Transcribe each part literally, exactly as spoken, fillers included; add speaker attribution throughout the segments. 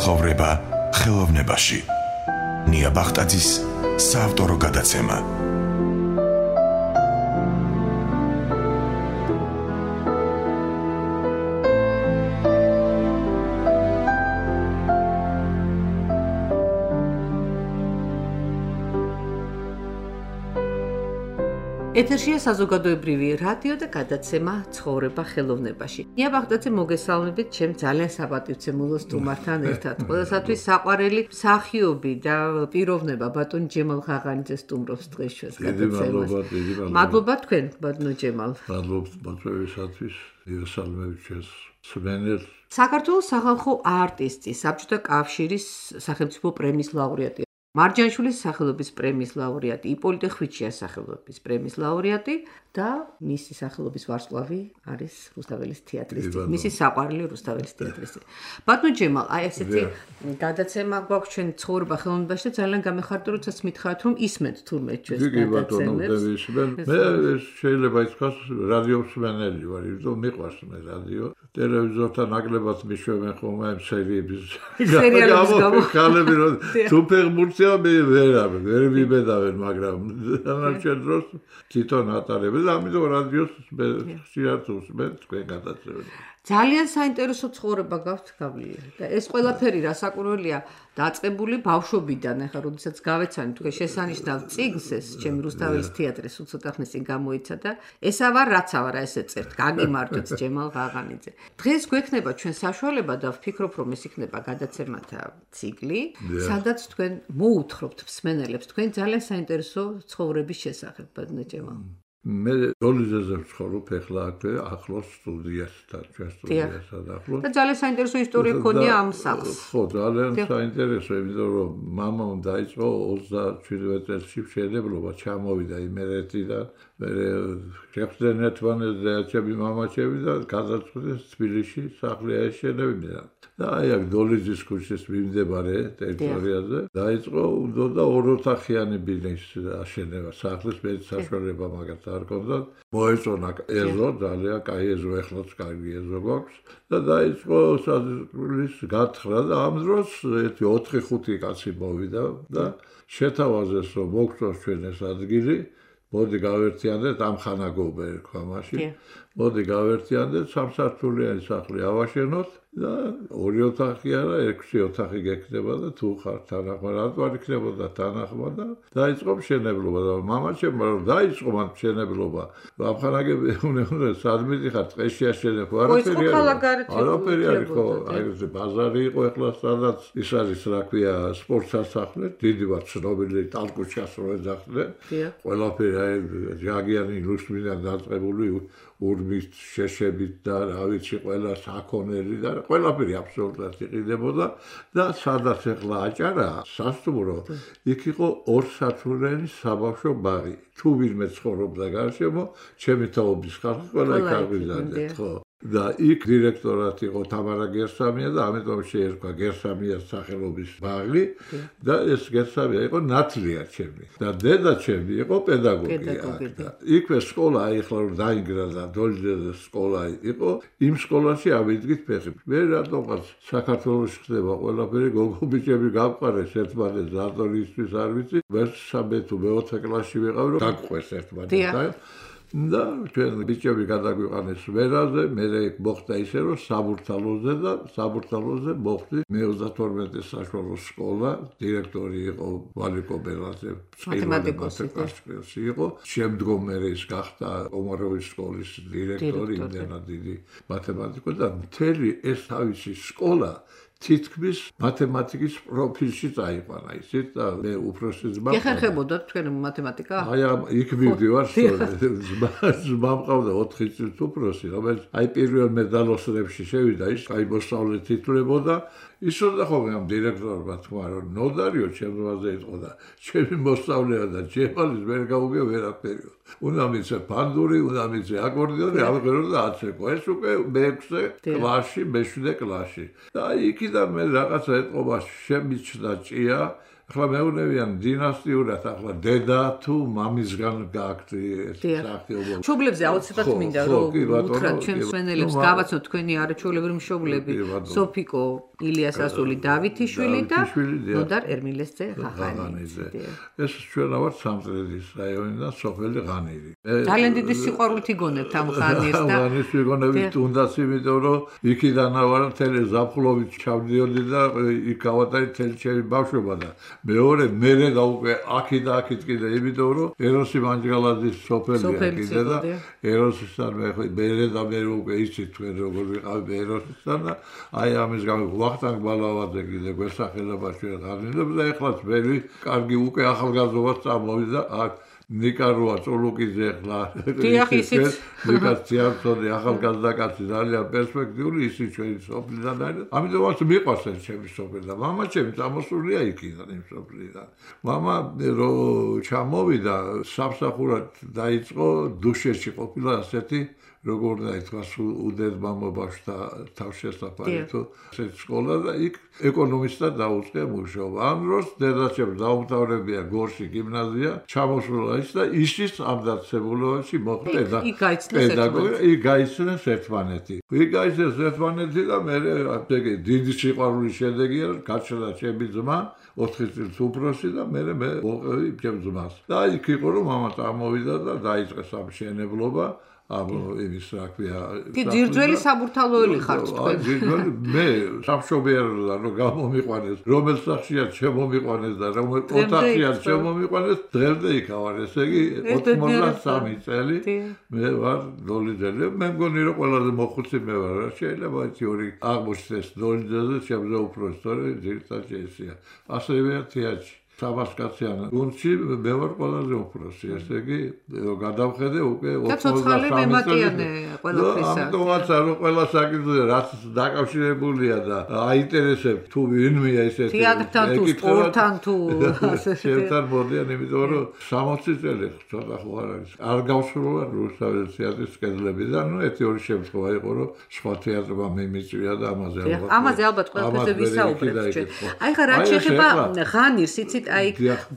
Speaker 1: ცხოვრება ხელოვნებაში. ნია ბახტაძის საავტორო გადაცემა.
Speaker 2: ეთერშია საზოგადოებრივი რადიო და გადაცემა ცხოვრება ხელოვნებაში. ნია ბახტაძე მოგესალმებით ჩემ ძალიან საპატივცემულო სტუმართან ერთად. ყველასათვის საყვარელი მსახიობი და პიროვნება ბატონ ჯემალ ღაღანიძე სტუმრობს დღეს ჩვენს გადაცემას. მადლობა თქვენ ბატონო ჯემალ.
Speaker 3: მადლობა ბატონებისათვის, ირსალმებით ჩვენს სვენერს.
Speaker 2: საქართველოს სახალხო არტისტი, საბჭოთა კავშირის სახელმწიფო პრემიის ლაურეატი. მარჯანიშვილის სახელობის პრემიის ლაურეატი, იპოლიტე ხვიჩიას სახელობის პრემიის ლაურეატი და მისი სახელობის ვარსკვლავი არის რუსთაველის თეატრის, მისი საყვარელი რუსთაველის თეატრის. ბატონო ჯემალ, აი ესეთი გადაცემა გვაქვს ჩვენ ცხოვრება ხელოვნებაში და ძალიან გამეხარდა, როდესაც მითხარით, რომ ისმენთ თურმე ჩვენს გადაცემებს.
Speaker 3: მე შეიძლება ითქვას რადიო მსმენელი ვარ, იმიტომ მიყვარს მე რადიო. ტელევიზორთან ნაკლებად მიშვებენ ხოლმე ამ სერიების გამო. ქალები რომ თუ ფეხბურთი მე ვერ ვერ ვიბედავენ, მაგრამ დანარჩენ დროს თვითონ ატარებენ და ამიტომ რადიოს მე ხშირად ვუსმენ თქვენ გადაცემებს.
Speaker 2: ძალიან საინტერესო ცხოვრება გაქვთ გავლილი და ეს ყველაფერი რასაკვირველია დაწყებული ბავშვობიდან, ახლა როდესაც გავეცანი თუ შესანიშნავ წიგნს ეს ჩემი რუსთაველის თეატრის უცოტა ხნის წინ გამოიცა და ესა ვარ რაცა ვარ ესე წერთ გაგიმარტოთ ჯემალ ღაღანიძე. დღეს გვექნება ჩვენ საშუალება და ვფიქრობ რომ ეს იქნება გადაცემათა ციკლი, სადაც თქვენ მოუთხრობთ მსმენელებს თქვენ ძალიან საინტერესო ცხოვრების შესახებ ბატონო ჯემალ.
Speaker 3: მე დოლიძეზე ვცხოვრობ ახლა აქვე ახლოს სტუდიასთან, ჩვენ სტუდიასთან ახლოს.
Speaker 2: და ძალიან საინტერესო ისტორია ქონია ამ სახლს.
Speaker 3: ხო, ძალიან საინტერესო, იმიტომ რომ მამამ დაიწყო ოცდაშვიდმეტ წელსი მშენებლობა, ჩამოვიდა იმერეთიდან, მე შეხვდნენ ერთმანეთს და მამაჩემი და გადაწყვიტეს თბილისში სახლი აეშენებინა. და აი აქ დოლიძის ქუჩის მიმდებარე ტერიტორიაზე დაიწყო უნდა ოროთახიანი ბინის აშენება, სახლის მე საშუალება მაგათ არ ჰქონდა. მოეწონა ეზო, ძალიან კაი ეზო, ეხლაც კარგი ეზო გვაქვს და დაიწყო საზღვრის გათხრა და ამ დროს ერთი ოთხი ხუთი კაცი მოვიდა და შეთავაზეს რომ მოგწონს ჩვენ ეს ადგილი, მოდი გავერთიანდეთ ამ ხანაგობა ერქვა მაშინ. მოდი გავერთიანდეთ სამსართულიანი სახლი ავაშენოთ და ორი ოთახი არა, ექვსი ოთახი გექნება და თუ ხარ თანახმა, რატო არ იქნებოდა თანახმა და დაიწყო მშენებლობა და მამაჩემ რომ დაიწყო მან მშენებლობა. ამხანაგები უნდა სადმიტი ხარ ტყეში აშენებ, არაფერი არის. არაფერი არის ხო, აი ეს ბაზარი იყო ახლა სადაც ის არის რა ქვია სპორტსასახლე, დიდი ვარ ცნობილი ტალკუჩას რო ეძახდნენ. ყველაფერი აი ჯაგიანი ლუშმინად დაწყებული ურმის შეშებით და რა ვიცი ყველა საქონელი და ყველაფერი აბსოლუტურად იყიდებოდა და სადაც ახლა აჭარა სასტუმრო იქ იყო ორსართულიანი საბავშვო ბაღი. თუ ვინმე ცხოვრობდა გარშემო, ჩემი თაობის ხალხი ყველა იქ აღვიზარდეთ, ხო. და იქ დირექტორად იყო თამარა გერსამია და ამიტომ შეერქვა გერსამიას სახელობის ბაღი და ეს გერსამია იყო ნათლია ჩემი და დედა ჩემი იყო პედაგოგი და იქვე სკოლა ახლა რომ დაინგრა და დოლიძეს სკოლა იყო, იმ სკოლაში ავიდგით ფეხი. მე რატომღაც საქართველოში ხდება ყველაფერი, გოგო ბიჭები გავყარეს ერთმანეთს რატომისთვის არ ვიცი, მესამე თუ მეოთხე კლასში ვიყავ რომ გაგყვეს ერთმანეთთან. და ჩვენ ბიჭები გადაგვიყანეს ვერაზე, მე მოხდა ისე რომ საბურთალოზე და საბურთალოზე მოხდი მეოცდათორმეტე საშუალო სკოლა, დირექტორი იყო ვალიკო ბელაძე, მათემატიკოსი იყო. შემდგომ მე ის გახდა ომაროვის სკოლის დირექტორი, იმდენად დიდი მათემატიკოსი და მთელი ეს თავისი სკოლა თითქმის მათემატიკის პროფილში წაიყვანა ისეთ და მე უფროსი ძმა
Speaker 2: გეხერხებოდა თქვენ მათემატიკა?
Speaker 3: აი იქ მივდივარ ძმა ძმა მყავდა ოთხი წლის უფროსი, რომელიც აი პირველ მედალოსრებში შევიდა, ის აი მოსწავლე თითლებოდა. ისოდა ხოლმე ამ დირექტორმა თქვა რომ ნოდარიო ჩემზე იყო და ჩემი მოსწავლეა და ჯემალის ვერ გაუგე ვერაფერიო. უნდა მიცე ფანდური, უნდა მიცე აკორდეონი, ამღერო და აცეკო. ეს უკვე მეექვსე კლასში, მეშვიდე კლასში. და იქიდან მე რაღაცა ეთყობა შემიჩნდა ჭია ახლა მეუნებიან დინასტიურად ახლა დედა თუ მამისგან გააქვთ ეს სახეობა.
Speaker 2: მშობლებზე აუცილებლად მინდა რომ უთხრათ ჩვენ სვენელებს გავაცნოთ თქვენი არაჩვეულებრივი მშობლები სოფიკო ილიას ასული დავითიშვილი და ნოდარ ერმილესძე ღაღანიძე.
Speaker 3: ეს ჩვენ ვართ სამტრედის რაიონიდან სოფელი ღანირი.
Speaker 2: ძალიან დიდი სიყვარულით იგონებთ ამ ღანირს და
Speaker 3: ღანირს ვიგონებით თუნდაც იმიტომ რომ იქიდან ვარ მთელი ზაფხულობით ჩავდიოდი და იქ გავატარე მთელი ჩემი ბავშვობა და მეორე მერე და უკვე აქი და აქით კიდე იმიტომ რომ ეროსი მანჯგალაძის სოფელია კიდე და ეროსისთან მერე და მერე უკვე იცით თქვენ როგორ ვიყავი ეროსისთან და აი ამის გამო ვახტანგ ბალავაძე კიდე გვესახელება ჩვენ ღანირებს და ეხლაც მერი კარგი უკვე ახალგაზრდობას წამოვიდა აქ ნიკაროა წოლუკიძე ახლა
Speaker 2: ისიც
Speaker 3: ნიკას თეატროდი ახალგაზრდა კაცი ძალიან პერსპექტიული ისიც ჩვენი სოფლიდან არის ამიტომაც მიყვარს ეს ჩემი სოფელი და მამა ჩემი წამოსულია იქიდან იმ სოფლიდან მამა რო ჩამოვიდა სამსახურად დაიწყო დუშეთში ყოფილა ასეთი როგორ დაიწყოს უდედება ბავშვთა თავშესაფარი თუ ეს სკოლა და იქ ეკონომისტად დაუწყე მუშაობა. ამ დროს დედაჩემ დაუმთავრებია გორში გიმნაზია, ჩამოსულა ის და ისიც ამ დაწესებულებაში მოხდა და პედაგოგი იქ გაიცნეს ერთმანეთი. იქ გაიცნეს ერთმანეთი და მე ეგ დიდი სიყვარულის შედეგია გაჩნდა ჩემი ძმა ოთხი წლის უფროსი და მე მე მოყევი ჩემ ძმას. და იქ იყო რომ მამა წამოვიდა და დაიწყეს ამ შენებლობა ამ იმის რა ქვია
Speaker 2: ძირძველი საბურთალოელი ხართ თქვენ
Speaker 3: ძირძველი მე სამშობიაროდან რომ გამომიყვანეს რომელ სახშია შემომიყვანეს და რომელ ოთახშია შემომიყვანეს დღემდე იქავარ ესე იგი ოცდამსამი წელი მე ვარ დოლიძელი მე მგონი რომ ყველაზე მოხუცი მე ვარ რა შეიძლება თეორი აღმოჩნდეს დოლიძეზე შემზე უფროსი თორე ძირითადად ესეა ასევე თეატრში საბასკაციან გუნდში მე ვარ ყველაზე უფროსი ესე იგი გადავხედე უკვე
Speaker 2: ოცდამსამი მემატიანე ყველაფრისა
Speaker 3: ამიტომაც რომ ყველა საკითხზე რაც დაკავშირებულია და აინტერესებს თუ ვინმეა ესეთი
Speaker 2: თეატრთან თუ სპორტთან თუ
Speaker 3: შეერთად მოდიან იმიტომ რომ სამოცი წელი ცოტა ხო არ არის არ გავსრულა რუსთავის თეატრის კედლებიდან ნუ ერთი ორი შემთხვევა იყო რომ სხვა თეატრმა მიმიწვია და ამაზე ალბათ
Speaker 2: ამაზე ალბათ ყველაფერზე ვისაუბრებთ ჩვენ აი ხა რაც შეეხება ღანირს იცით აი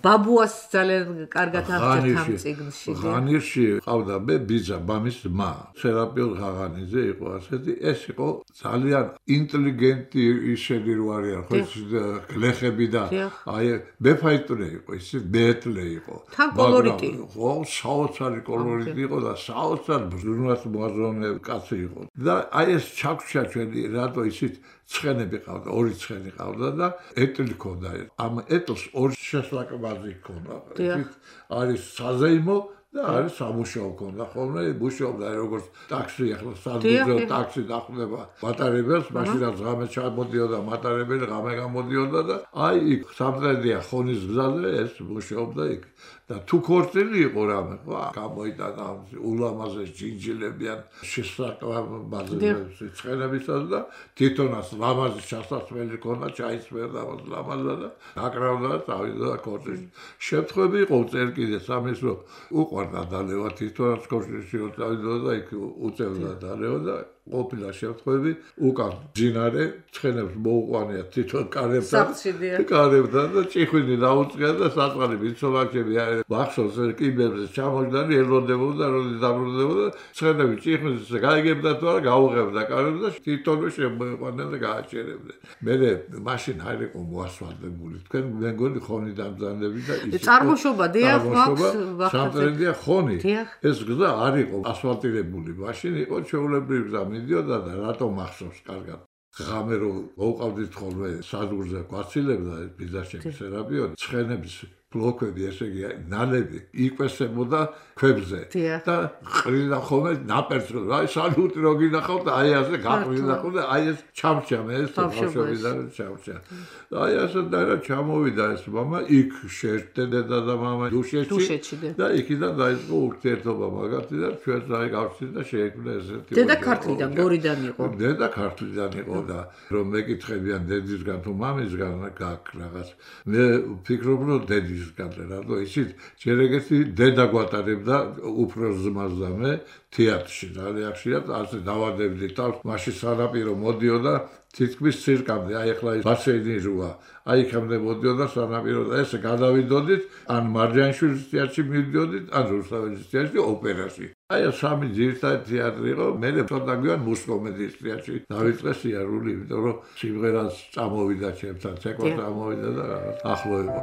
Speaker 2: ბაბუას ძალიან კარგად აღწერთ ამ წიგნში.
Speaker 3: ღანირში ყავდა მე ბიძა, მამის ძმა. სერაპიონ ღაღანიძე იყო ასეთი, ეს იყო ძალიან ინტელიგენტი ისეთი რო არიან, ხო გლეხები და აი მეფაიტურე იყო, ისე მეეტლე იყო.
Speaker 2: თან კოლორიტი.
Speaker 3: ხო, საოცარი კოლორიტი იყო და საოცარ ბრძნას მოაზროვნე კაცი იყო. და აი ეს ჩაგვშა ჩვენი რატო ისეთ ცხენები ყავდა, ორი ცხენი ყავდა და ეტლი ქონდა. ამ ეტლს ორი შესაკვაზი ქონდა. არის საზეიმო და არის სამუშაო ქონდა. ხოლმე მუშაობდა როგორც ტაქსი, ახლა საზღვაო ტაქსი დახვდება მატარებელს, მაშინაც ღამე ჩამოდიოდა მატარებელი, ღამე გამოდიოდა და აი იქ სამტრედია ხონის გზაზე ეს მუშაობდა იქ. და თუ ქორწილი იყო რამე, ხო, გამოიტანა ულამაზე ჯინჯილებიან შესაკვაზი ცხენებისას და თვითონაც ლამაზი ჩასასვლელი ქონდა, ჩაისმერდა ლამაზა და აკრავდა წავიდა ქორწილში. შემთხვევები იყო წერ კიდე სამის რომ უყვარდა დალევა თვითონაც ქორწილში რომ წავიდა და იქ უწევდა დალევა და ყოფილა შემთხვევები უკან ჯინარე ცხენებს მოუყვანია თვითონ კარებთან კარებთან და ჭიხვინი დაუწყია და საწყალი მიცოლაკები ვახშოს კიბებზე ჩამოჯდარი ელოდებოდა როდის დაბრუნდებოდა ცხენები ჭიხვინს გაიგებდა თუ არა გაუღებდა კარებს და თვითონ შემოიყვანდა და გააჭერებდა მე მაშინ არ იყო მოასფალტებული თქვენ მე მგონი ხონი დამძანები და ის
Speaker 2: წარმოშობა დიახ
Speaker 3: ვახშობა სამტრედია ხონი ეს გზა არ იყო ასფალტირებული მაშინ იყო ჩვეულებრივი გზა მიდიოდა და რატომ ახსოვს კარგად ღამე რომ მოუყავდით ხოლმე საზღურზე გვაცილებდა ბიზაშექი სერაპიონი ცხენების ბლოქები ესე იგი ნალები იკვესებოდა ქვებზე და ყრიდა ხოლმე ნაპერწს აი სალუტი რო გინახავთ აი ასე გაყრიდა ხოლმე აი ეს ჩამჭა მე ეს ბავშვობიდან ჩამჭა აი ასე და რა ჩამოვიდა ეს მამა იქ შეერთდა დედა და მამა დუშეთში და იქიდან დაიწყო ურთიერთობა მაგათი და ჩვენს აი გავხსნით და შეექმნა ესეთი
Speaker 2: დედა ქართლიდან გორიდან იყო
Speaker 3: დედა ქართლიდან იყო და რომ მეკითხებიან დედისგან თუ მამისგან გაკ რაღაც მე ვფიქრობ რომ დედის დედისგან, რატო იცით, ჯერ ეგეთი დედა გვატარებდა უფროს ძმას და მე თეატრში, ძალიან ხშირად ასე დავადებდი თავს, მაშინ სანაპირო მოდიოდა თითქმის ცირკამდე, აი ახლა ის ბასეინი როა, აი იქამდე მოდიოდა სანაპირო და ესე გადავიდოდით, ან მარჯანიშვილის თეატრში მივიდოდით, ან რუსთაველის თეატრში ოპერაში. აი სამი ძირითადი თეატრი იყო, მე ცოტა გვიან მუსკომედიის თეატრში დავიწყე სიარული, იმიტომ რომ სიმღერას წამოვიდა ჩემთან, ცეკვა წამოვიდა და რაღაც ახლო იყო.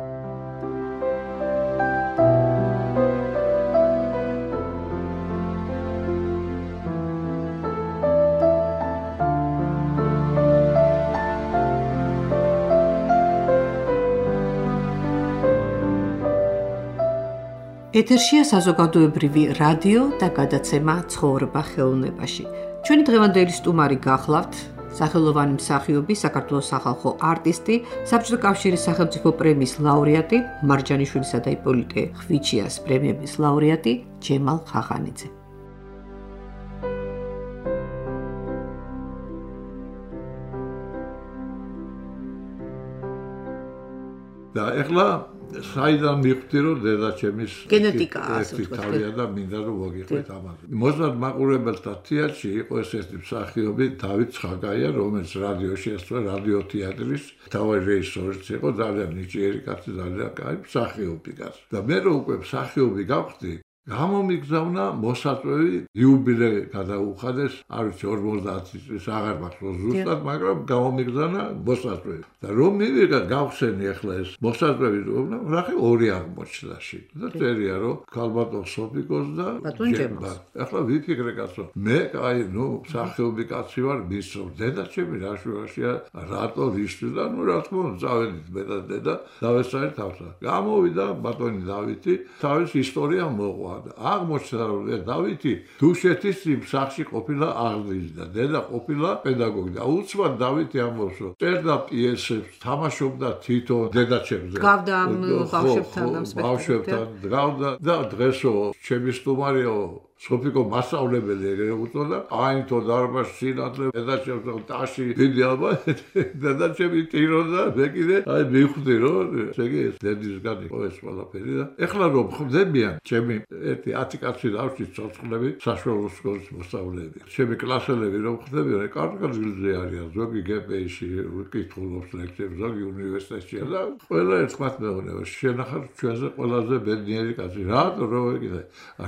Speaker 2: ეთერშია საზოგადოებრივი რადიო და გადაცემა ცხოვრება ხელოვნებაში. ჩვენი დღევანდელი სტუმარი გახლავთ სახელოვანი მსახიობი, საქართველოს სახალხო არტისტი, საბჭოთა კავშირის სახელმწიფო პრემიის ლაურეატი, მარჯანიშვილისა და იპოლიტე ხვიჩიას პრემიების ლაურეატი ჯემალ ხახანიძე.
Speaker 3: და ეხლა საიდან მივხვდი რომ დედაჩემის
Speaker 2: გენეტიკაა ასე
Speaker 3: ვთქვათ. თავია და მინდა რომ მოგიყვეთ ამაზე. მოზარდ მაყურებელთა თეატრში იყო ესეთი მსახიობი დავით ცხაგაია, რომელიც რადიოში ასწორა რადიო თეატრის თავი რეჟისორიც იყო, ძალიან ნიჭიერი კაცი, ძალიან კაი მსახიობი კაცი. და მე რო უკვე მსახიობი გავხდი, გამომიგზავნა მოსაწვევი იუბილე გადაუხადეს, არ ვიცი ორმოცდაათი წლის აღარ მახსოვს ზუსტად, მაგრამ გამომიგზავნა მოსაწვევი. და რომ მივიღე გავხსენი ახლა ეს მოსაწვევი რომ რახე ორი აღმოჩნდაში. და წერია რომ ქალბატონ სოფიკოს და ჯემბარ. ახლა ვიფიქრე კაცო, მე აი ნუ მსახიობი კაცი ვარ, მისწრობ დედაჩემი რა შუაშია, რატო რისთვის და ნუ რა თქმა უნდა წავედით მე და დედა დავესწარი თავსა. გამოვიდა ბატონი დავითი, თავის ისტორია მოყვა. აღმოჩნდა რომ დავითი დუშეთის სახლში ყოფილა აღზრდის და დედა ყოფილა პედაგოგი და უცბად დავითი ამბობს რომ წერდა პიესებს, თამაშობდა თვითონ დედაჩემზე.
Speaker 2: გავდა ამ ბავშვებთან ამ
Speaker 3: ბავშვებთან გავდა და დღესო ჩემი სტუმარიო სოფიკო მასწავლებელი ეგრე უწოდა, აინთო დარბაზში სინათლე დედაჩემს ტაში დიდი ალბა დედაჩემი ტიროდა მე კიდე აი მივხვდი რომ შეგი ეს დედისგან იყო ეს ყველაფერი და ეხლა რომ ხდებიან ჩემი ერთი ათი კაცი დავში ცოცხლები საშუალო სკოლის მოსწავლეები. ჩემი კლასელები რომ ხდებიან კარგად-გილზე არიან, ზოგი გპ-ში ვიკითხულობს ლექციებს, ზოგი უნივერსიტეტში და ყველა ერთხმად მეუბნება შენახარ ჩვენზე ყველაზე ბედნიერი კაცი. რატო რომ ვეკითხე?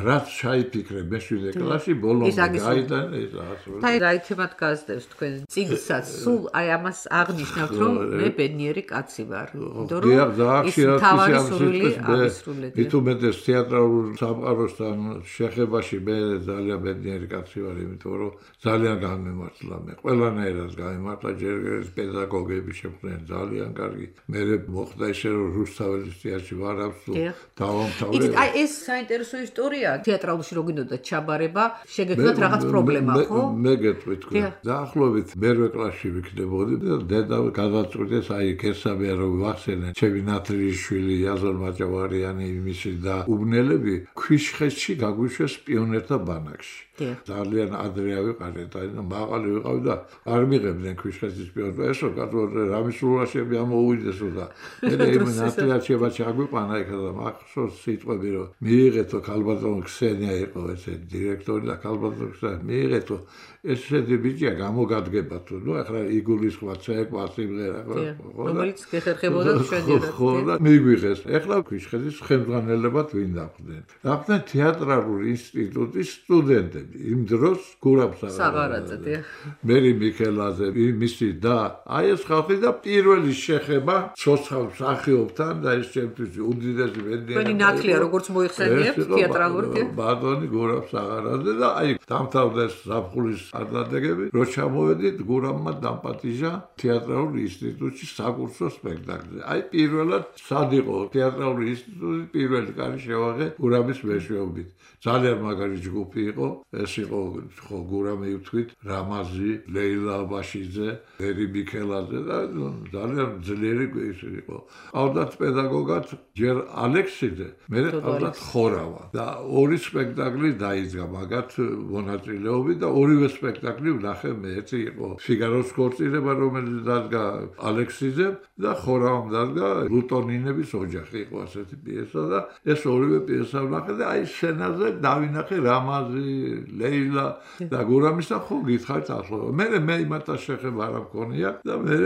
Speaker 3: რაც ჩაიფიქრე მეშვიდე კლასში ბოლომდე გაიდან ეს ასე.
Speaker 2: აი რა ითემად გაზდევს თქვენ წიგნსაც, სულ აი ამას აღნიშნავთ რომ მე ბედნიერი კაცი ვარ. იმიტომ რომ ის თავარი სურვილი აღისრულეთ.
Speaker 3: მithumetes თეატრალურ სამყაროსთან შეხებაში მე ძალიან ბედნიერი კაცი ვარ, იმიტომ რომ ძალიან გამემართლა მე. ყველანაირად გამემართლა, ჯერ პედაგოგები შეხვდნენ ძალიან კარგი. მე მოხდა ისე რომ რუსთაველის თეატრში ვარ აბსოლუტ დავამთავრე.
Speaker 2: იცით, აი ეს საინტერესო ისტორია თეატრალში რო გინდოდა ჩაბარება, შეგეძლოთ რაღაც პრობლემა, ხო?
Speaker 3: მე გეტყვი თქვენ. დაახლოებით მერვე კლასში ვიქნებოდი და დედა გადაწყვიტეს აი გესაბია რომ ვახსენე ჩემი ნათლიშვილი იაზონ მაჭავარიანი მისი და უბნელები ქვიშხეთში გაგვიშვეს პიონერთა ბანაკში. ძალიან ადრე ავიყარე და მაღალი ვიყავი და არ მიღებდნენ ქვიშხეთის პიონერს. ესო კაცო რამისულაშები ამოუვიდესო და მე იმ ნათლიაჩება ჩაგვიყვანა იქ და მახსოვს სიტყვები რომ მიიღეთო ქალბატონ ქსენია იყო ესე დირექტორი და ქალბატონ ქსენია მიიღეთო ესეთი ბიჭია გამოგადგებათო. ნუ ახლა იგულისხმა ცეკვა სიმღერა ხო?
Speaker 2: რომელიც გეხერხებოდა ჩვენიერად.
Speaker 3: ხო და მიგვიღეს. ახლა ქვიშხეთის ხელმძღვანელებად ვინ დახვდნენ? დახვდნენ თეატრალური ინსტიტუტის სტუდენტები. იმ დროს გურამს
Speaker 2: საღარაძე დიახ.
Speaker 3: მერი მიქელაძე, მისი და აი ეს ხალხი და პირველი შეხება ცოცხალ მსახიობთან და ეს ჩემთვის უდიდესი ბედნიერება.
Speaker 2: თქვენი ნათლია როგორც მოიხსენიებთ თეატრალური
Speaker 3: ბატონი გურამს საღარაძე და აი დამთავრდა ზაფხულის ადრადეგები, რო ჩამოვედით გურამმა დამპატიჟა თეატრალური ინსტიტუტში საკურსო სპექტაკლზე. აი პირველად სად იყო თეატრალური ინსტიტუტი პირველი კარი შევაღე გურამის მეშვეობით. ძალიან მაგარი ჯგუფი იყო. ეს იყო ხო გურამი ვთქვით, რამაზი, ლეილა აბაშიძე, ერი მიქელაძე და ძალიან ძლიერი იყო. ყავდათ პედაგოგად ჯერ ალექსიძე, მე ყავდათ ხორავა და ორი სპექტაკლი დაიძგა მაგათ მონაწილეობით და ორივე სპექტაკლი ვნახე მე. ერთი იყო ფიგაროს ქორწინება, რომელიც დადგა ალექსიძემ და ხორაამ დადგა ლუტონინების ოჯახი იყო ასეთი პიესა და ეს ორივე პიესა ვნახე და აი სცენაზე დავინახე რამაზი, ლეილა და გურამისა ხო გითხარით ახლა. მე მე იმათაც შეხება არ მქონია და მე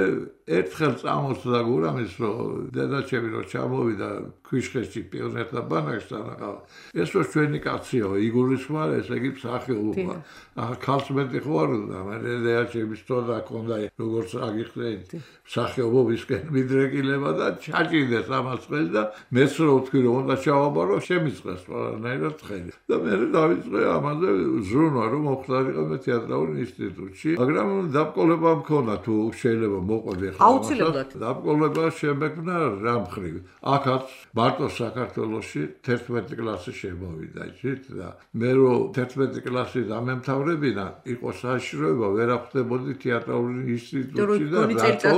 Speaker 3: ერთხელ წამოსდა გურამის რომ დედაჩემი რომ ჩამოვიდა ქვიშხეთში პიონერთა ბანაკში თანახავ. ეს რო ჩვენი კაციო იგულისხმარ ესე იგი მსახიობობა. ახლა ქალს მეტი ხო არ უნდა მე დედაჩემის თორა ქონდა როგორც აგიხდეთ მსახიობობისკენ მიდრეკილება და ჩაჭიდეს ამას ხელს და მეც რო ვთქვი რომ უნდა ჩავაბარო შემიწყეს ყველანაირად ხელი. და მე დავიწყე ამაზე ზრუნვა რომ მოხდარიყო მე თეატრალურ ინსტიტუტში, მაგრამ დაბკოლება მქონდა თუ შეიძლება მოყვები ხა.
Speaker 2: აუცილებლად.
Speaker 3: დაბკოლება შემეკნა რა მხრივ. აქაც მარტო საქართველოში თერთმეტი კლასი შემოვიდა, იცით და მე რო თერთმეტი კლასი დამემთავრებინა, იყო საშიშროება ვერ ახვდებოდი თეატრალურ ინსტიტუტში და რატო?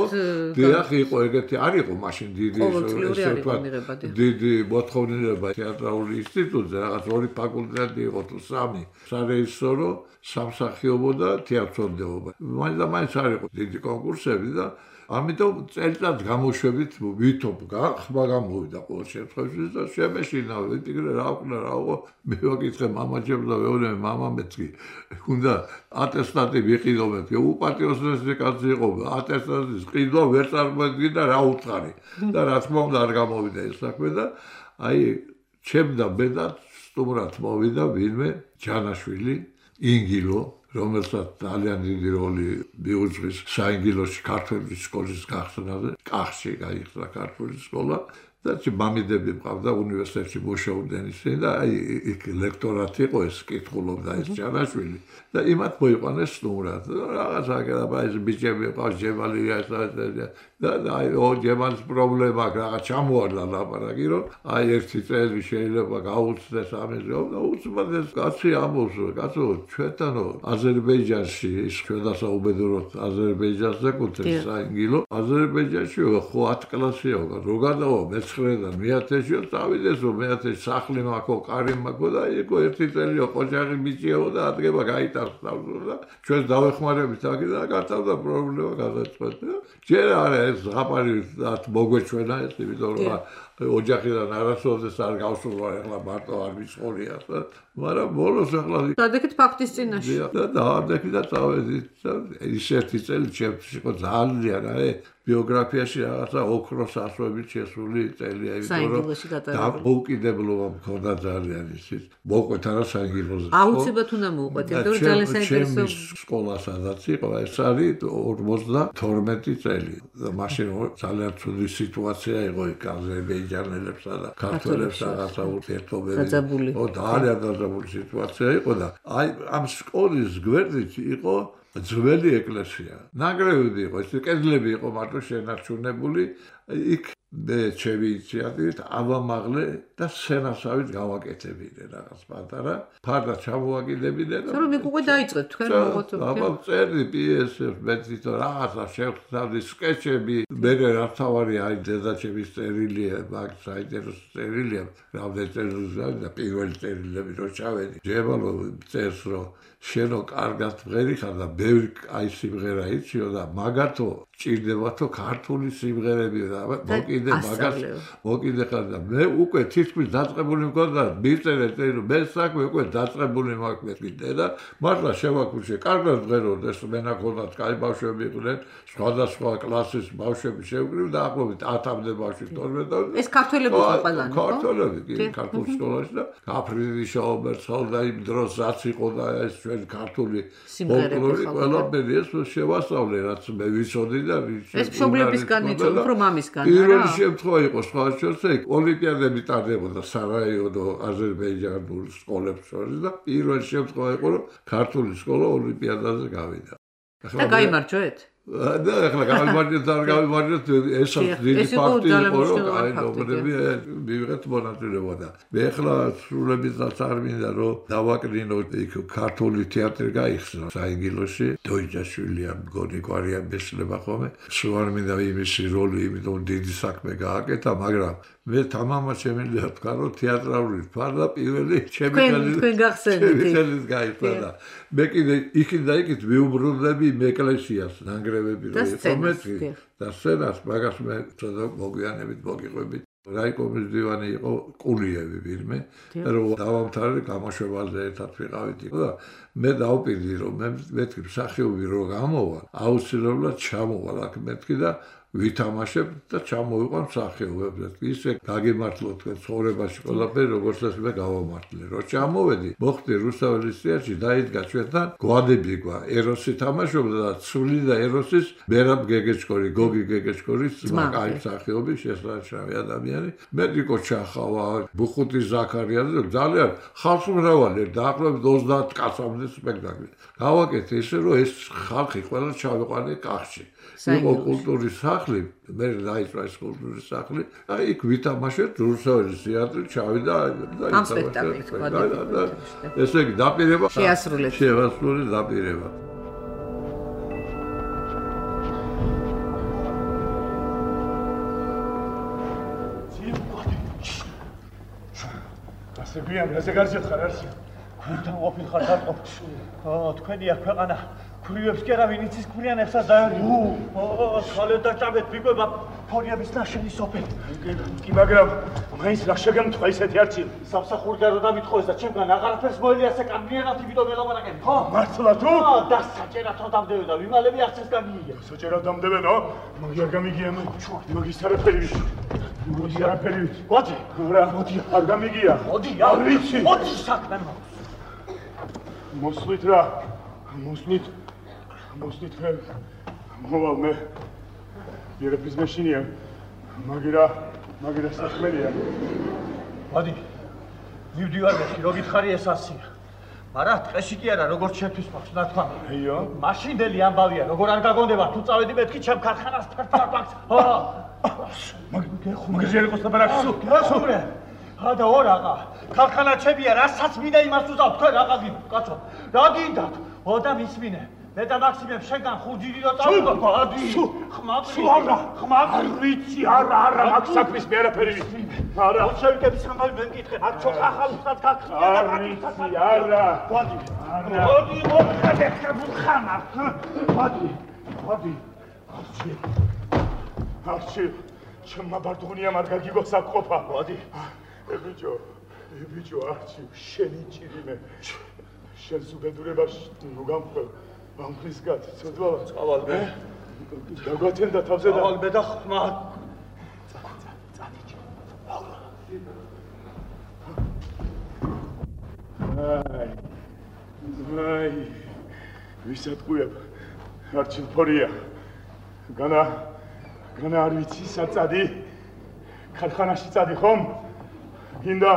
Speaker 3: დიახ, იყო ეგეთი არ იყო მაშინ დიდი
Speaker 2: ესე ვთქვათ
Speaker 3: დიდი მოთხოვნილება თეატრალურ ინსტიტუტზე, რაღაც ორი ფაკულტეტი იყო თუ სამი. სარეჟისორო, სამსახიობო და თეატრონდეობა. მაინც და მაინც არ იყო დიდი კონკურსები და ამიტომ წელიწად გამოშვებით ვითომ ხმა გამოვიდა ყოველ შემთხვევაში და შემეშინა ვიტიგრე რა ვქნა რა ვიყო მე ვაკითხე მამაჩემს და ვეუბნე მამამეც კი უნდა ატესტატი ვიყიდობთ უპატიოსნესი კაცი იყო ატესტატის ყიდვა ვერ წარმოედგინა რა უთხარი და რა თქმა უნდა არ გამოვიდა ეს საქმე და აი ჩემ და ბედად სტუმრად მოვიდა ვინმე ჯანაშვილი ინგილო რომელსაც ძალიან დიდი როლი მიუძღვის საინგილოში ქართული სკოლის გახსნაზე, კახში გაიხსნა ქართული სკოლა და მამიდები მყავდა უნივერსიტეტში მუშაობდნენ ისინი და აი იქ ლექტორატი იყო ეს კითხულობდა ეს ჯანაშვილი და იმათ მოიყვანეს სტუმრად. რაღაც აგერაბა ეს ბიჭები ყავს ჯემალია და აი ო ჯემალის პრობლემა აქვს რაღაც ჩამოარდა ლაპარაკი რომ აი ერთი წელი შეიძლება გაუწდეს ამის რომ და უცბად ეს კაცი ამბობს რომ კაცო ჩვენთანო აზერბაიჯანში ის ჩვენ დასაუბედუროთ აზერბაიჯანს ეკუთვნის საინგილო აზერბაიჯანში ხო ათი კლასია რო გადავა მეცხრედან მეათეში წავიდეს რომ მეათეში სახლი მაქვს კარი მაქვს და იქო ერთი წელიო ყოჯაღი ბიჭიო და ადგება გაიტარს და ჩვენს დავეხმარებით აქ და გათავდა პრობლემა გადაწყვეტა ჯერ არა ეს ზღაპარი მოგვეჩვენა ეს იმიტომ რომ ოჯახიდან არასოდეს არ გავსულა ეხლა მარტო არ ვიცხოვრია მაგრამ ბოლოს ახლა
Speaker 2: დადექით ფაქტის წინაშე
Speaker 3: და დაადექი და წავედით და ისეთი წელი ჩემთვის იყო ძალიან აი ბიოგრაფიაში რაღაცა ოქროს ასოებით შესული წელია იმიტომ რომ დამოუკიდებლობა მქონდა ძალიან ისიც მოყვეთ არა საინგილოზე
Speaker 2: აუცილებლად უნდა მოყვეთ იმიტომ რომ ძალიან საინტერესო
Speaker 3: სკოლა სადაც იყო ეს არის ორმოცდათორმეტი წელი და მაშინ ძალიან ცუდი სიტუაცია იყო იქ აზერბაიჯანელებსა და ქართველებს რაღაცა ურთიერთობები ო ძალიან დაძაბული სიტუაცია იყო და აი ამ სკოლის გვერდით იყო ძველი ეკლესია. ნანგრევები იყო, ეს კედლები იყო მარტო შენარჩუნებული. იქ მე ჩემი ინიციატივით ავამაღლე და სცენასავით გავაკეთებინე რაღაც პატარა. ფარდა ჩამოვაკიდებინე და
Speaker 2: რომ იქ უკვე დაიწყეთ თქვენ მოღვაწეობთ.
Speaker 3: აბა წერდი პიესებს, მე თვითონ რაღაცა შევხვდები სკეჩები. მე რა თავარი აი დედაჩემის წერილია, მაგ საინტერესო წერილია. რამდენი წერილია და პირველი წერილები რო ჩავედი. ჯებალო წერს რომ შენო კარგად მღერი ხარ და ბევრი აი სიმღერა იციო და მაგათო ჭირდებათო ქართული სიმღერები და მოკიდე მაგას მოკიდე ხარ და მე უკვე თითქმის დაწყებული მქონდა მიწერე წერილ მე საქმე უკვე დაწყებული მაქვს კიდე და მართლა შევაკუჩე კარგად მღეროდა ეს მენახონდათ კაი ბავშვები იყვნენ სხვადასხვა კლასის ბავშვები შევკრივ და ახლობით ათამდე ბავშვი თორმეტ
Speaker 2: ეს ქართველები იყო ყველანი ხო
Speaker 3: ქართველები კი ქართულ სკოლაში და აფრიდი შაუბერცალ და იმ დროს რაც იყო და ეს ქართული
Speaker 2: სიმღერები
Speaker 3: ყველაფერი ეს შევასწავლე რაც მე ვიცოდი და
Speaker 2: ეს მშობლებისგან იწო უფრო მამისგან არა
Speaker 3: პირველი შემთხვევა იყო სხვა შორსე ოლიმპიადები ტარდებოდა სარაევო აზერბაიჯანულ სკოლებს შორის და პირველი შემთხვევა იყო რომ ქართული სკოლა ოლიმპიადაზე გავიდა
Speaker 2: და გაიმარჯვეთ
Speaker 3: და ახლა გამიმარჯვეთ არ გამიმარჯვეთ ესაც დიდი ფაქტი იყო რომ აი ნობრები მივიღეთ მონაწილეობა და მე ახლა სრულებითაც არ მინდა რომ დავაკრინო იქ ქართული თეატრი გაიხსნა საინგილოში დოიჯაშვილია მგონი გვარია მეცლება ხოლმე სულ არ მინდა იმისი როლი იმიტომ დიდი საქმე გააკეთა მაგრამ მე თამამად შემიძლია თქვა რომ თეატრალური ფარდა პირველი ჩემი
Speaker 2: თქვენ გახსენეთ
Speaker 3: გაიწოდა მე კიდე იქით და იქით მიუბრუნდები ეკლესიას ნანგრევები რო იყო და სცენას მაგას მე ცოტა მოგვიანებით მოგიყვებით რაიკომის დივანი იყო კულიევი ვირმე რომ დავამთავრე გამოშვებაზე ერთად ვიყავით და მე დავპირდი რომ მე მეთქი მსახიობი რო გამოვა აუცილებლად ჩამოვალ აქ მეთქი და ვითამაშებ და ჩამოვიყვან მსახიობებს ისე გაგემართლო თქვენ ცხოვრებაში ყველაფერი როგორც ეს მე გავამართლე რომ ჩამოვედი მოხდი რუსთაველის თეატრში დაიდგა ჩვენთან გვადები გვა ეროსი თამაშობდა და ცული და ეროსის მერაბ გეგეჭკორი გოგი გეგეჭკორის მაგარი მსახიობი შესაძლებელი ადამიანი მედიკო ჩახავა ბუხუტი ზაქარიაძე ძალიან ხალხმრავალი დაახლოებით ოცდაათ კაცამდე სპექტაკლი გავაკეთე ისე რომ ეს ხალხი ყველა ჩავიყვანე კახში იყო კულტურის სახლი, მე დაიწყო ეს კულტურის სახლი, აი იქ ვითამაშეთ რუსთაველის თეატრი, ჩავიდა და
Speaker 2: ამ სპექტაკლით გვადებით.
Speaker 3: ესე იგი დაპირება
Speaker 2: შეასრულეთ.
Speaker 3: შეასრულეთ დაპირება.
Speaker 4: ასე გვიან, ასე გარშეთ ხარ არში. გუნდან ყოფილ ხარ დატყობ. ო, თქვენია ქვეყანა. ქურიებს კი არა ვინ იცის ქურიანებსაც დაერგე. ო, ხალე დაჭაბეთ ვიკვება ფორიების ნაშენი სოფელი. კი, მაგრამ მაინც რა შეგემთხვა ისეთი არჩი. სამსახურიდან რო დამიტყოეს და ჩემგან აღარაფერს მოელიასე კამნიერად იმიტომ ელაპარაკენ. ხო? მართლა თუ? ხო, და საჭერად დამდებე და ვიმალები არც ეს გამიგია. საჭერად დამდებე და მაგი არ გამიგია მე. მაგის არაფერი ვიცი. მოდი არაფერი ვიცი. მოდი. რა, მოდი არ გამიგია. მოდი, არ ვიცი. მოდი საქმე მაქვს. მოსვლით რა. მოსვლით მოსვლით ხელ მოვალ მე ერაფრის მეშინია მაგირა მაგირა საქმეა მოდი მივდივარ მე რო გითხარი ეს ასია მაგრამ ტყეში კი არა როგორც შეთვის მაქვს ნათქვა აიო მაშინდელი ამბავია როგორ არ გაგონდება თუ წავედი მეთქი ჩემ ქარხანას ფერფლად მაქვს ხო მაგ გეხო ლაპარაკს გასურე და ორაღა ქარხანა ჩემია რასაც მინდა იმას უზავ თქვენ რაღა გინდა კაცო რა გინდათ ო და მისმინე მე და მაქსიმემ შეგან ხუჯირი რო წავიდო ადი ხმაყრი არა ხმაყრი ვიცი არა არა მაგ საქმის მე არაფერი ვიცი არა შევიკების ამბავი მე მკითხე აქ ჩო ახალსაც გაქხია და მაგითაც არა მოდი მოდი მოხდე ხმხანა მოდი მოდი არჩი არჩი ჩემმა ბარდღუნიამ არ გაგიგოს აქ ყოფა მოდი ებიჯო ებიჯო არჩი შენი ჭირიმე შენს უბედურებაში ნუ გამხვალ ამხლისგად ცოდვალა წავალ მე დაგვათენდა თავზე და წავალ მე და ხმა წადიჭე აი აი ვისატყუებ არჩილ ფორია განა განა არ ვიცი საწადი ქარხანაში წადი ხომ გინდა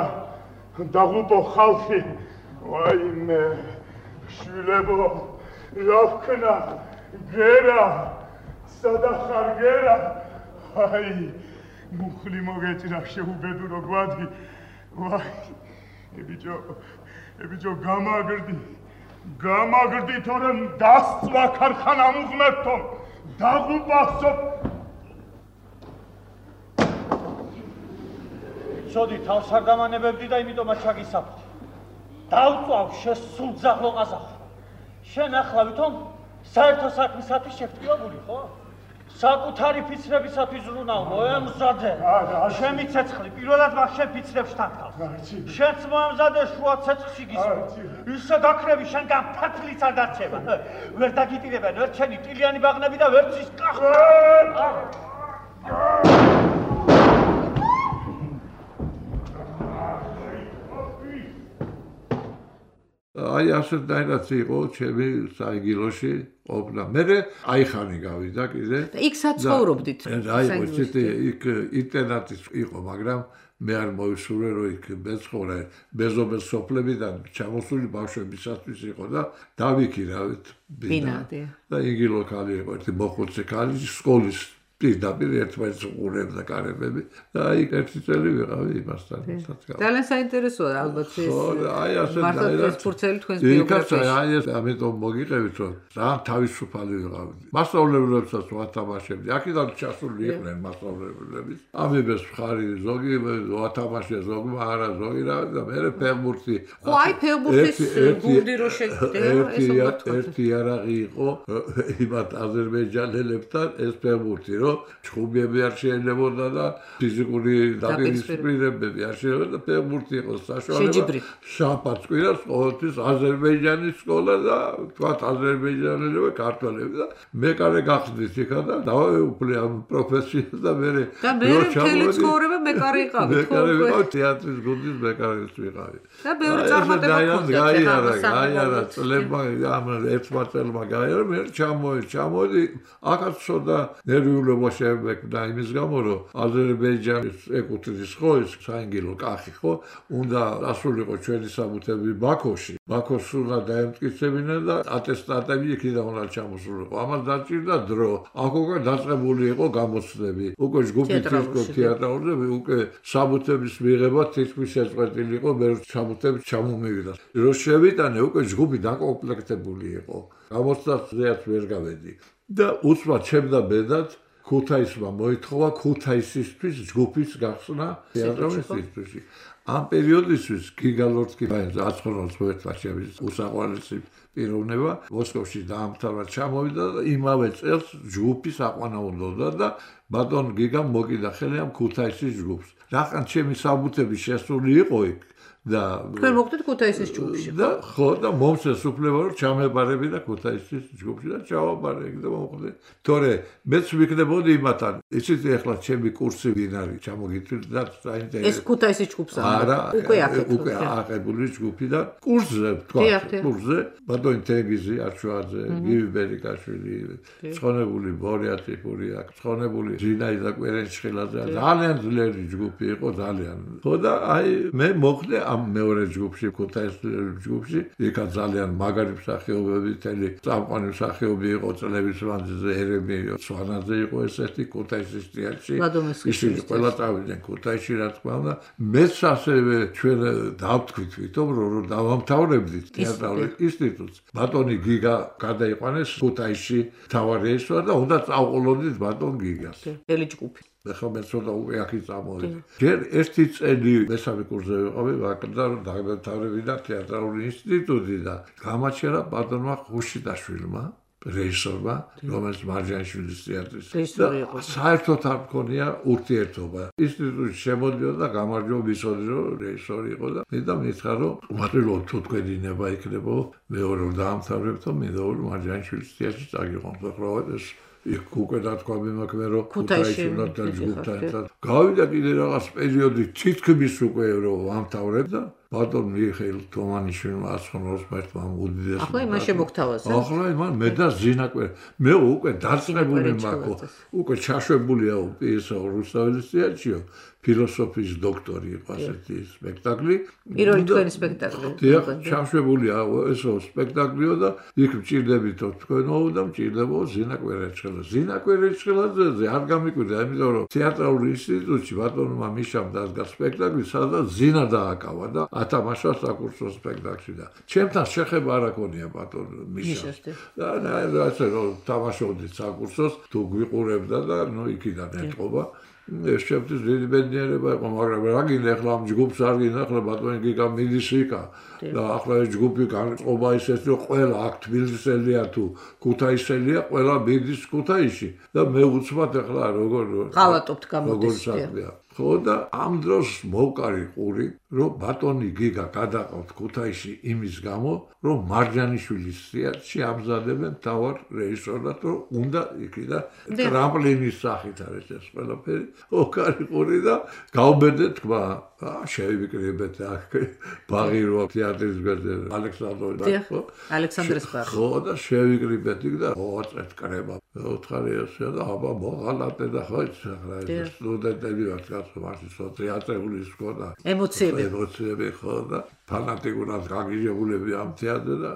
Speaker 4: დაღუპო ხალხი ვაიმე შვილებო რა ვქნა გერა სადახარ გერა აი მუხლი მოგეჭრა შეუბედურო გვადი ვაი ებიჯო ებიჯო გამაგრდი გამაგრდი თორემ დასწვა ქარხანა მუღმერთო დაღუპასო ცოდი თავს არ დამანებებდი და იმიტომაც ჩაგისაფრთხე დავწვავ შესულ ძაღლო ყაზახო შენ ახლა ვითომ საერთო საქმისათვის შეგტყიებული ხო საკუთარი ფიცრებისათვის ზრუნავ მოემზადე ჩემი ცეცხლი პირველად მაგ შენ ფიცრებს თანხავს შენც მოემზადე შუა ცეცხლში გისვა ისე გაქრები შენგან ფათლიც არ დარჩება ვერ დაგიტირებენ ვერ ჩენი ტილიანი ბაღნები და ვერც ის კახა
Speaker 3: აი ასეთნაირად იყო ჩემი საიგილოში ყოფნა. მე აიხანი გავიდა კიდე.
Speaker 2: და იქ საცხოვრობდით.
Speaker 3: აი ვიცით იქ ინტერნატი იყო, მაგრამ მე არ მოვისურვე რომ იქ მეცხოვრე მეზობელ სოფლებიდან ჩამოსული ბავშვებისათვის იყო და დავიქირავეთ
Speaker 2: ბინადი.
Speaker 3: და იგი ლოკალი იყო ერთი მოხუცი ქალი სკოლის პირდაპირ ერთმანეთს უყურებდა კარებები და აი ერთი წელი ვიყავი იმასთან.
Speaker 2: ძალიან საინტერესოა ალბათ ეს.
Speaker 3: ხო, აი ასე
Speaker 2: მართლა ეს ფურცელი თქვენს ბიოგრაფიაში.
Speaker 3: აი ეს ამიტომ მოგიყევით რომ ძალიან თავისუფალი ვიყავი. მასწავლებლებსაც ვათამაშებდი. აქედან ჩასული იყვნენ მასწავლებლებიც. ამიბეს მხარი ზოგი ვათამაშე ზოგი არა ზოგი რა და მე ფეხბურთი.
Speaker 2: ხო, აი ფეხბურთის გუნდი რო შეგდე,
Speaker 3: ეს ერთი იარაღი იყო იმათ აზერბაიჯანელებთან ეს ფეხბურთი ჩხუბები არ შეიძლებოდა და ფიზიკური დაპირისპირებები არ შეიძლება და ფეხბურთი იყო საშუალება შაბათს კვირას ყოველთვის აზერბაიჯანის სკოლა და თქვათ აზერბაიჯანელები ქართველები და მეკარე გახდით იქა და დავაუფლე ამ პროფესიას და მე
Speaker 2: და მე მთელი ცხოვრება მეკარე იყავი
Speaker 3: მეკარე ვიყავ თეატრის გუნდის მეკარეც ვიყავი
Speaker 2: და ბევრი წარმატება ჰქონდა
Speaker 3: გაიარა გაიარა წლებმა ამ ერთმა წელმა გაიარა მე ჩამოი ჩამოდი აქაც ცოტა ნერვიულობა შემეკდა იმის გამო რომ აზერბაიჯანის ეკუთვნის ხო ეს საინგილო კახი ხო უნდა ასულიყო ჩვენი საბუთები ბაქოში ბაქოს უნდა დაემტკიცებინა და ატესტატები იქიდან უნდა ჩამოსულიყო ამას დაჭირდა დრო აქ უკვე დაწყებული იყო გამოცდები უკვე ჯგუფი თეატრალზე უკვე საბუთების მიღება თითქმის შეწყვეტილი იყო მე საბუთები ჩამომივიდა რო შევიტანე უკვე ჯგუფი დაკომპლექტებული იყო გამოცდაზეაც ვერ გავედი და უცბად ჩემდა ბედად ქუთაისმა მოითხოვა ქუთაისისთვის ჯგუფის გახსნა თეატრის ინსტიტუტში. ამ პერიოდისთვის გიგალორდკი აცხონოს მოეთვაშების უსაყვარლესი პიროვნება მოსკოვში დაამთავრა ჩამოვიდა და იმავე წელს ჯგუფის აყვანა უნდა და ბატონ გიგამ მოკიდა ხელი ამ ქუთაისის ჯგუფს. რახან ჩემი საბუთები შესული იყო იქ და
Speaker 2: თქვენ მოხდით ქუთაისის ჯგუფში
Speaker 3: და ხო და მომწეს უფლება რომ ჩამებარები და ქუთაისის ჯგუფში და ჩავაბარე იქ და მომხდე თორე მეც ვიქნებოდი იმათან იცით ეხლა ჩემი კურსი ვინ არის ჩამოგიწვით და საინტერესო
Speaker 2: ეს ქუთაისის ჯგუფს
Speaker 3: არა
Speaker 2: უკვე აქეთ
Speaker 3: უკვე აღებული ჯგუფი და კურსზე თქვა კურსზე ბატონი თენგიზი არჩვაძე გივი ბერიკაშვილი ცხონებული ბორიათი ფურია ცხონებული ზინაიდა კვერენჩხილაძე ძალიან ძლიერი ჯგუფი იყო ძალიან ხო და აი მე მოხდე მეორე ჯგუფში ქუთაისის ჯგუფში იქა ძალიან მაგარი მსახიობები თელი წამყვანი მსახიობი იყო წლების მანძილზე ერები სვანაძე იყო ესეთი ქუთაისის თეატრში ისინი ყველა წავიდნენ ქუთაისში რა თქმა უნდა მეც ასევე ჩვენ დავთქვით ვითომ რომ დავამთავრებდით თეატრალურ ინსტიტუტს ბატონი გიგა გადაიყვანეს ქუთაისში მთავარი ესვა და უნდა წავყოლოდით ბატონ გიგას
Speaker 2: ელი ჯგუფი
Speaker 3: ახლა მე ცოტა უკვე აქ წამოვიდი. ჯერ ერთი წელი მესამე კურსზე ვიყავი ვაკდა რომ დავამთავრებინა თეატრალური ინსტიტუტი და გამაჩერა ბატონმა ხუშიდაშვილმა რეჟისორმა რომელიც მარჯანიშვილის თეატრის
Speaker 2: რეჟისორი იყო.
Speaker 3: საერთოდ არ მქონია ურთიერთობა. ინსტიტუტში შემოდიოდა და გამარჯვება ვიცოდი რომ რეჟისორი იყო და მე და მითხრა რომ მარტო თუ თქვენი ნება იქნებო მეორე რომ დაამთავრებთო მე და მარჯანიშვილის თეატრში წაგიყვანთ ახლა ეს იქ უკვე დათქვამი მაქვს რომ ქუთაისში უნდა ჯგუფთან ერთად გავიდა კიდე რაღაც პერიოდი თითქმის უკვე რომ ვამთავრებ და ბატონ მიხეილ თომანიშვილმა აცხონოს მერტმა უდიდეს
Speaker 2: ახლა იმან შემოგთავაზა
Speaker 3: ახლა იმან მე და ზინაკვე მე უკვე დაწყებული მაქვს უკვე ჩაშვებულია პიესა რუსთაველის თეატრშიო ფილოსოფიის დოქტორი იყო ასეთი სპექტაკლი
Speaker 2: პირველი თქვენი სპექტაკლი
Speaker 3: დიახ ჩაშვებულია ესო სპექტაკლიო და იქ მჭირდებითო თქვენო და მჭირდებო ზინა კვერეჭხელა ზინა კვერეჭხელაძე არ გამიკვირდა იმიტომ რომ თეატრალურ ინსტიტუტში ბატონმა მიშამ დასგა სპექტაკლი სადაც ზინა დააკავა და ათამაშა საკურსო სპექტაკლში და ჩემთან შეხება არ აკონია ბატონ მიშამ და ასე რომ თამაშობდი საკურსოს თუ გვიყურებდა და ნუ იქიდან ეთყობა ეს შეფთვის დიდი ბედნიერება იყო მაგრამ რა გინდა ახლა ამ ჯგუფს არ გინდა ახლა ბატონი გიგა მიდის იქა და ახლა ეს ჯგუფი განწყობა ისეთ რომ ყველა აქ თბილისელია თუ ქუთაისელია ყველა მიდის ქუთაისში და მე უცბად ახლა როგორ
Speaker 2: ღალატობთ გამოდის
Speaker 3: ხო და ამ დროს მოვკარი ყური რომ ბატონი გიგა გადაყავთ ქუთაისში იმის გამო რომ მარჯანიშვილის თეატრში ამზადებენ თავარ რეჟისორად რომ უნდა იქიდან ტრამპლინის სახით არის ეს ყველაფერი მოვკარი ყური და გავბედე თქვა შევიკრიბეთ აქ ბაღი რო თეატრის გვერდზე ალექსანდრე ხო
Speaker 2: ალექსანდრეს ბაღი
Speaker 3: ხო და შევიკრიბეთ იქ და ოღონდ კრება ოთხარი ესე და აბა მოღალატე და ხო ეს სტუდენტები ვართ კაცო მაშინ სოციალური სკოლა
Speaker 2: ემოციები
Speaker 3: ემოციები ხო და ფანატიკურად გაგიჟებულები ამ თეატრზე და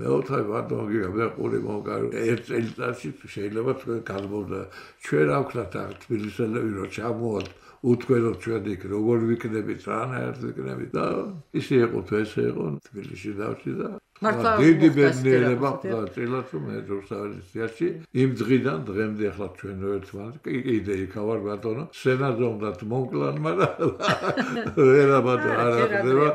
Speaker 3: მეოთხე ბატონი გიგა მე ყური მოვკარი ერთ წელიწადში შეიძლება თქვენ გადმოვდა ჩვენ რა ვქნათ აქ თბილისელები რომ ჩამოვართ უთქვენოთ ჩვენ იქ როგორ ვიქნებით რანაირად ვიქნებით და ისე იყო თუ ესე იყო თბილისში დავში და დიდი ბედნიერება და წილად რომ მე რუსთაველის თეატრში იმ დღიდან დღემდე ახლა ჩვენ ერთმანეთს კიდე იქავარ ბატონო სცენაზე უნდათ მომკლან მაგრამ ვერა ბატონო არ ახდება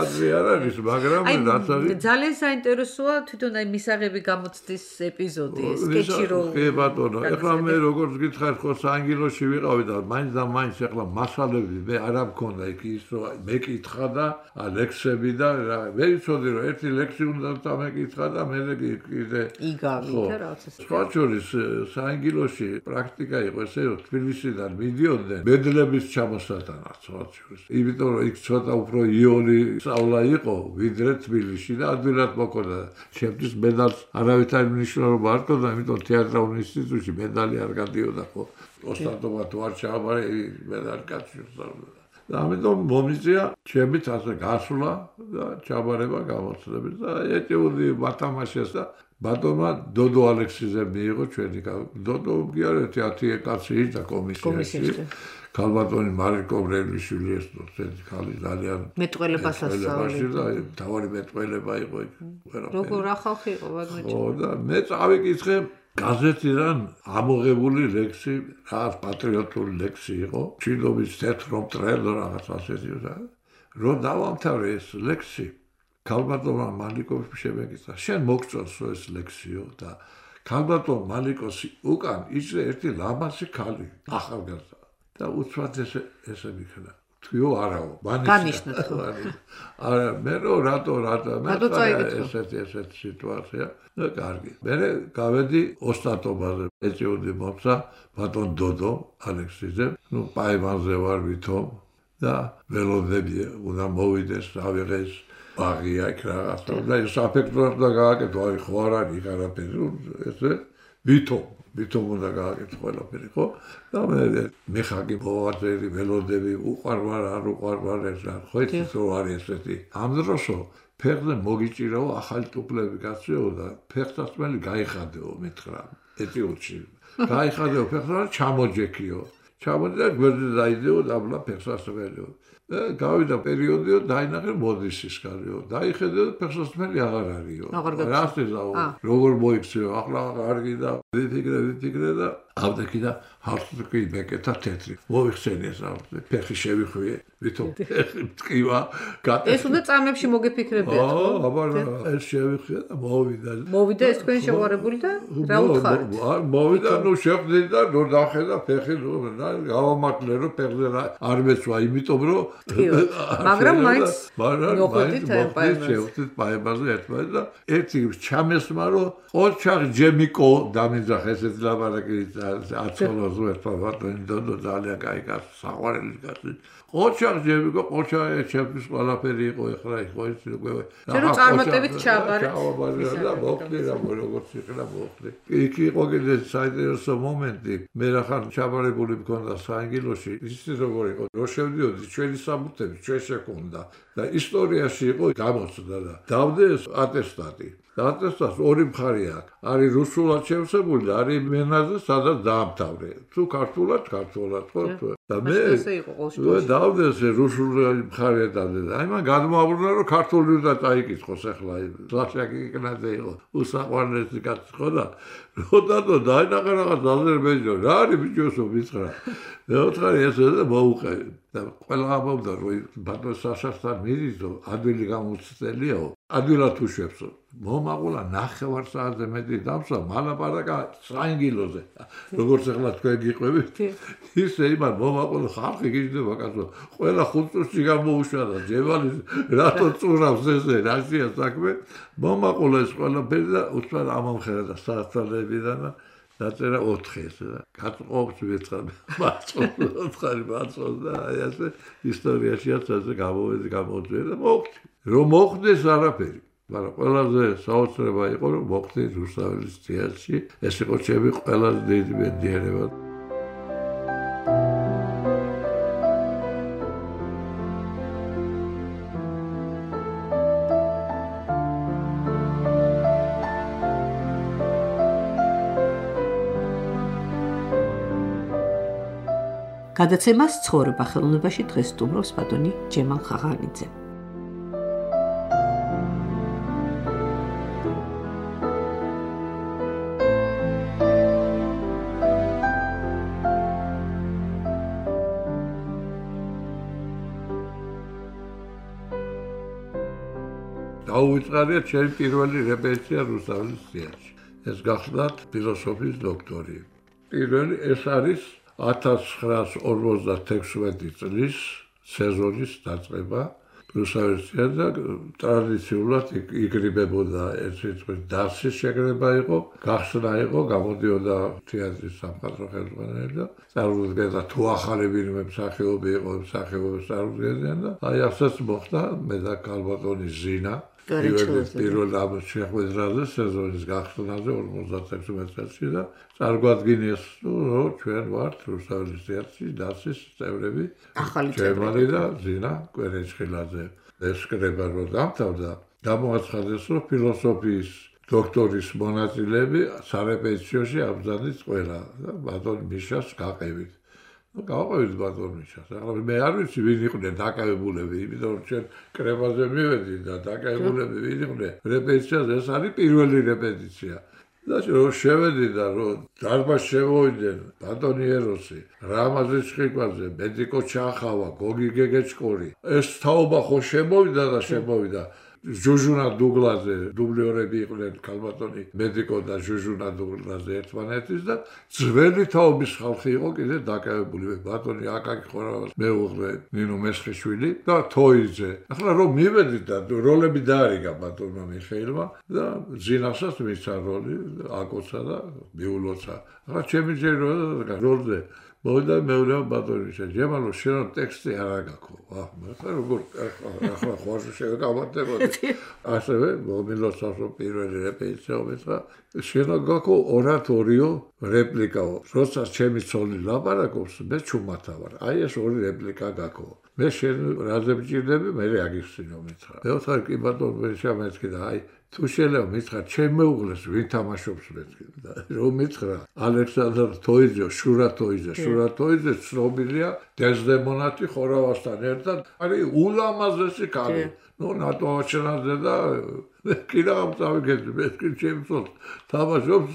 Speaker 3: ადრე არ არის მაგრამ რაც არის
Speaker 2: ძალიან საინტერესოა თვითონ აი მისაღები გამოცდის ეპიზოდი სკეჩი რო
Speaker 3: კი ბატონო ახლა მე როგორც გითხარ ხო საანგილოში ვიყავი და მაინც და მაინც ახლა მასალები მე არ მქონდა იქ ის რომ მე კითხა და ლექსები და მე ვიცოდი რომ ერთი ლექსი უნდა დამეკითხა და მე კიდე
Speaker 2: იგავი და რაღაცა
Speaker 3: სხვა შორის საანგილოში პრაქტიკა იყო ესე რომ თბილისიდან მიდიოდნენ მედლების ჩამოსატანად სხვა შორის იმიტომ რომ იქ ცოტა უფრო იული სწავლა იყო ვიდრე თბილისში და ადვილად მოქონდა ჩემთვის მედალს არავითარი მნიშვნელობა არ ჰქონდა იმიტომ თეატრალურ ინსტიტუტში მედალი არ გადიოდა ხო ოსტატობა თუ არ ჩააბარე მედალი კაცი და ამიტომ მომიწია ჩემით ასე გასვლა და ჩაბარება გამოცდების და ეჭვოდი მათამაშეს და ბატონმა დოდო ალექსიძე მიიღო ჩვენი დოდო გიარე თეატრი კაცი და კომისიაში ქალბატონი მარიკო ბრელიშვილი ეს დოცენტი ხალი ძალიან
Speaker 2: მეტყველებას ასწავლიდა
Speaker 3: და თავარი მეტყველება იყო იქ
Speaker 2: როგორ რა ხალხი იყო ვაგნეჭი
Speaker 3: ხო და მე წავიკითხე გაზეთიდან ამოღებული ლექსი, რაღაც პატრიოტული ლექსი იყო, ჩილობის თეთრო მტრელო რაღაც ასეთი და რომ დავამთავრე ეს ლექსი, ქალბატონმა მალიკოვი შემეკითხა, შენ მოგწონს ეს ლექსიო და ქალბატონ მალიკოსი უკან იჭრე ერთი ლამაზი ქალი, ახალგაზრდა და უცბად ესე ესე მიქნა. თქო არაო,
Speaker 2: განიშნეთ ხო.
Speaker 3: არა, მე რო რატო რატო მე ესეთი ესეთი სიტუაცია და კარგი. მე გავედი ოსტატობაზე, ეწეოდი მომცა ბატონ დოდო ალექსიძე, ნუ პაემანზე ვარ ვითომ და ველოდები უნდა მოვიდეს, ავიღეს ბაღია იქ რაღაცა და ეს აფექტურად და გააკეთო, აი ხო არ არის არაფერი, ესე ვითომ ვითომ უნდა გააკეთო ყველაფერი ხო და მე მეხაკი მოვაწერი ველოდები უყარვარ არ უყარვარ ეს რა ხო იცით რომ არის ესეთი ამ დროსო ფეხზე მოგიჭირაო ახალი ტუპლები გასწრეო და ფეხსაცმელი გაიხადეო მითხრა ეტიოტში გაიხადეო ფეხსა ჩამოჯექიო ჩამოჯდა გვერდზე დაიდეო დაბლა ფეხსაცმელიო გავიდა პერიოდიო დაინახე მოდისის კარიო დაიხედე ფეხსაცმელი აღარ არისო რას ეძაო როგორ მოიქცეო ახლა კარგი და ვიფიქრე ვიფიქრე და ავდექი და ჰავსტუკი მეკეთა თეთრი მოიხსენე ეს ავდე ფეხი შევიხვიე ვითომ ტკივა
Speaker 2: ეს უნდა წამებში მოგეფიქრებიათ ხო
Speaker 3: აბა ეს შევიხვიე და მოვიდა
Speaker 2: მოვიდა ეს თქვენ შეუღარებული და რა უთხარით
Speaker 3: მოვიდა ნუ შეხვდი და ნუ დახედა ფეხი ნუ გავამართლე რომ ფეხზე არ მეცვა იმიტომ რომ
Speaker 2: მაგრამ მაინც
Speaker 3: მოხვდით პაემაზე ერთმანეთს და ერთი ჩამესმა რომ ოჩაღ ჯემიკო დამიძახ ესეთ ლაბარაკი აცოლოს ვერტავატონი დოდო ძალიან კაი კაცი საყვარელი კაცი ოჩაღ ჯემიკო ოჩაღ ჩემთვის ყველაფერი იყო ეხლა იყო ის უკვე
Speaker 2: რომ წარმატებით ჩაბარეთ
Speaker 3: და მოხდი რა როგორც იქნა მოხდი იქ იყო კიდე საინტერესო მომენტი მე რახან ჩაბარებული მქონდა საანგილოში ისე როგორ იყო რო შევდიოდი ჩვენი საბუთები ჩვენ შეკონდა და ისტორიაში იყო გამოცდა და დავდე ატესტატი ატესტატს ორი მხარე აქვს არის რუსულად შევსებული და არის მენაზე სადაც დაამთავრე თუ ქართულად ქართულად ხო და მე დავდე ეს რუსული მხარე დავდე და აი მან გადმოაბრუნა რომ ქართული უნდა წაიკითხოს ახლა ლაშაკი იქნაზე იყო უსაყვარლესი კაცი ხო და როდადო დაინახე რაღაც აზერბაიჯანში რა არის ბიჭოსო მიცხრა მეოთხარი ესე და მოუყევი და ყველა ამბობდა რომ ბატონ საშასთან მიდისო ადვილი გამოცდელიაო ადვილად უშვებს. მომაყოლა ნახევარ საათზე მეტი დამსვა მალაპარაკა სრანგილოზე. როგორც ახლა თქვენ გიყვებით, ისე იმან მომაყოლა ხალხი გიждდება კაცო. ყველა ხუთ წუთში გამოუშვა და ჯევალი რატო წურავს ესე რაშია საქმე. მომაყოლა ეს ყველაფერი და უცბად ამომხერა და საათალებიდან და დაწერა ოთხი ესე და გაწყვობს ვეცხარ მაწყვობს ოთხი მაწყვობს და აი ასე ისტორიაშიაც ასე გამოვედი გამოძვე და მოხდი. რომ მოხდეს არაფერი. მაგრამ ყველაზე საოცრება იყო რომ მოხდი რუსთაველის თეატრში. ეს იყო ჩემი ყველაზე დიდი მედიარება.
Speaker 2: გადაცემას ცხოვრება ხელოვნებაში დღეს სტუმრობს ბატონი ჯემალ ხაღანიძე.
Speaker 3: დაუვიწყარია ჩემი პირველი რეპეტიცია რუსთაველის თეატრში. ეს გახლდათ ფილოსოფიის დოქტორი. პირველი ეს არის ათას ცხრაას ორმოცდათექვსმეტი წლის სეზონის დაწყება რუსთაველის თეატრში და ტრადიციულად იკრიბებოდა ერთი წლის დასის შეკრება იყო, გახსნა იყო, გამოდიოდა თეატრის სამხატვრო ხელმძღვანელი და წარმოადგენდა თუ ახალი ვინმე მსახიობი იყო, მსახიობებს წარმოადგენდნენ და აი ასეც მოხდა მე და ქალბატონი ზინა პირველ ამ შეხვედრაზე სეზონის გახსნაზე ორმოცდათექვსმეტ წელს და წარგვადგინეს რომ ჩვენ ვართ რუსთაველის თეატრში დასის წევრები ჯემალი და ზინა კვერეჭხილაძე. ეს კრება რომ დამთავრდა გამოაცხადეს რომ ფილოსოფიის დოქტორის მონაწილეები სარეპეტიციოში აბზადის ყველა და ბატონ მიშას გაყევით. ну გავყევით ბატონ მიშას. ახლა მე არ ვიცი ვინ იყვნენ დაკავებულები, იმიტომ რომ ჩვენ კრებაზე მივედი და დაკავებულები ვინ იყვნენ. რეპეტიციაზე ეს არის პირველი რეპეტიცია. და რომ შევედი და რომ დარბაზში შევოიდნენ ბატონი ეროსი, რამაზი ჩხიკვაძე, მედიკო ჩახავა, გოგი გეგეჭკორი. ეს თაობა ხო შემოვიდა და შემოვიდა. ჟუჟუნა დუგლაძე, დუბლიორები იყვნენ ქალბატონი მედიკო და ჟუჟუნა დუგლაძე ერთმანეთის და ძველი თაობის ხალხი იყო კიდე დაკავებული. ბატონი აკაკი ხორავას მეუღლე ნინო მესხიშვილი და თოიძე. ახლა რომ მივედი და როლები დაარიგა ბატონმა მიხეილმა და ზინასაც მისცა როლი აკოცა და მიულოცა. ახლა ჩემი ჯერა როლზე მოვიდა მეურვე ბატონი შეჯემალო შენ ტექსტი არ აგაქო. აჰ, მე როგორ ახლა ხوارზე შეგავატებოდი. ასევე მომილოცავს პირველი რეპეტიცია უმეცხრა შენ აგაქო ორატორიო რეპლიკაო. როცა ჩემი ცოლი ლაპარაკობს, მე ჩუმათა ვარ. აი ეს ორი რეპლიკა გაქო. მე შენ რაზე მჭირდები, მე აგიხსინო მეცხრა. მე ვთქვი კი ბატონო მე შემეცქი და აი თუ შეიძლება მითხრა ჩემ მეუღლეს ვინ თამაშობს მეთქი და რომ მითხრა ალექსანდრ თოიძე, შურა თოიძე, შურა თოიძე ცნობილია დეზდემონათი ხორავასთან ერთად, არის ულამაზესი ქალი. ну ნატოჩნაძე და კიდევ წავიგეთ მე ჩემ ცოლ თამაშობს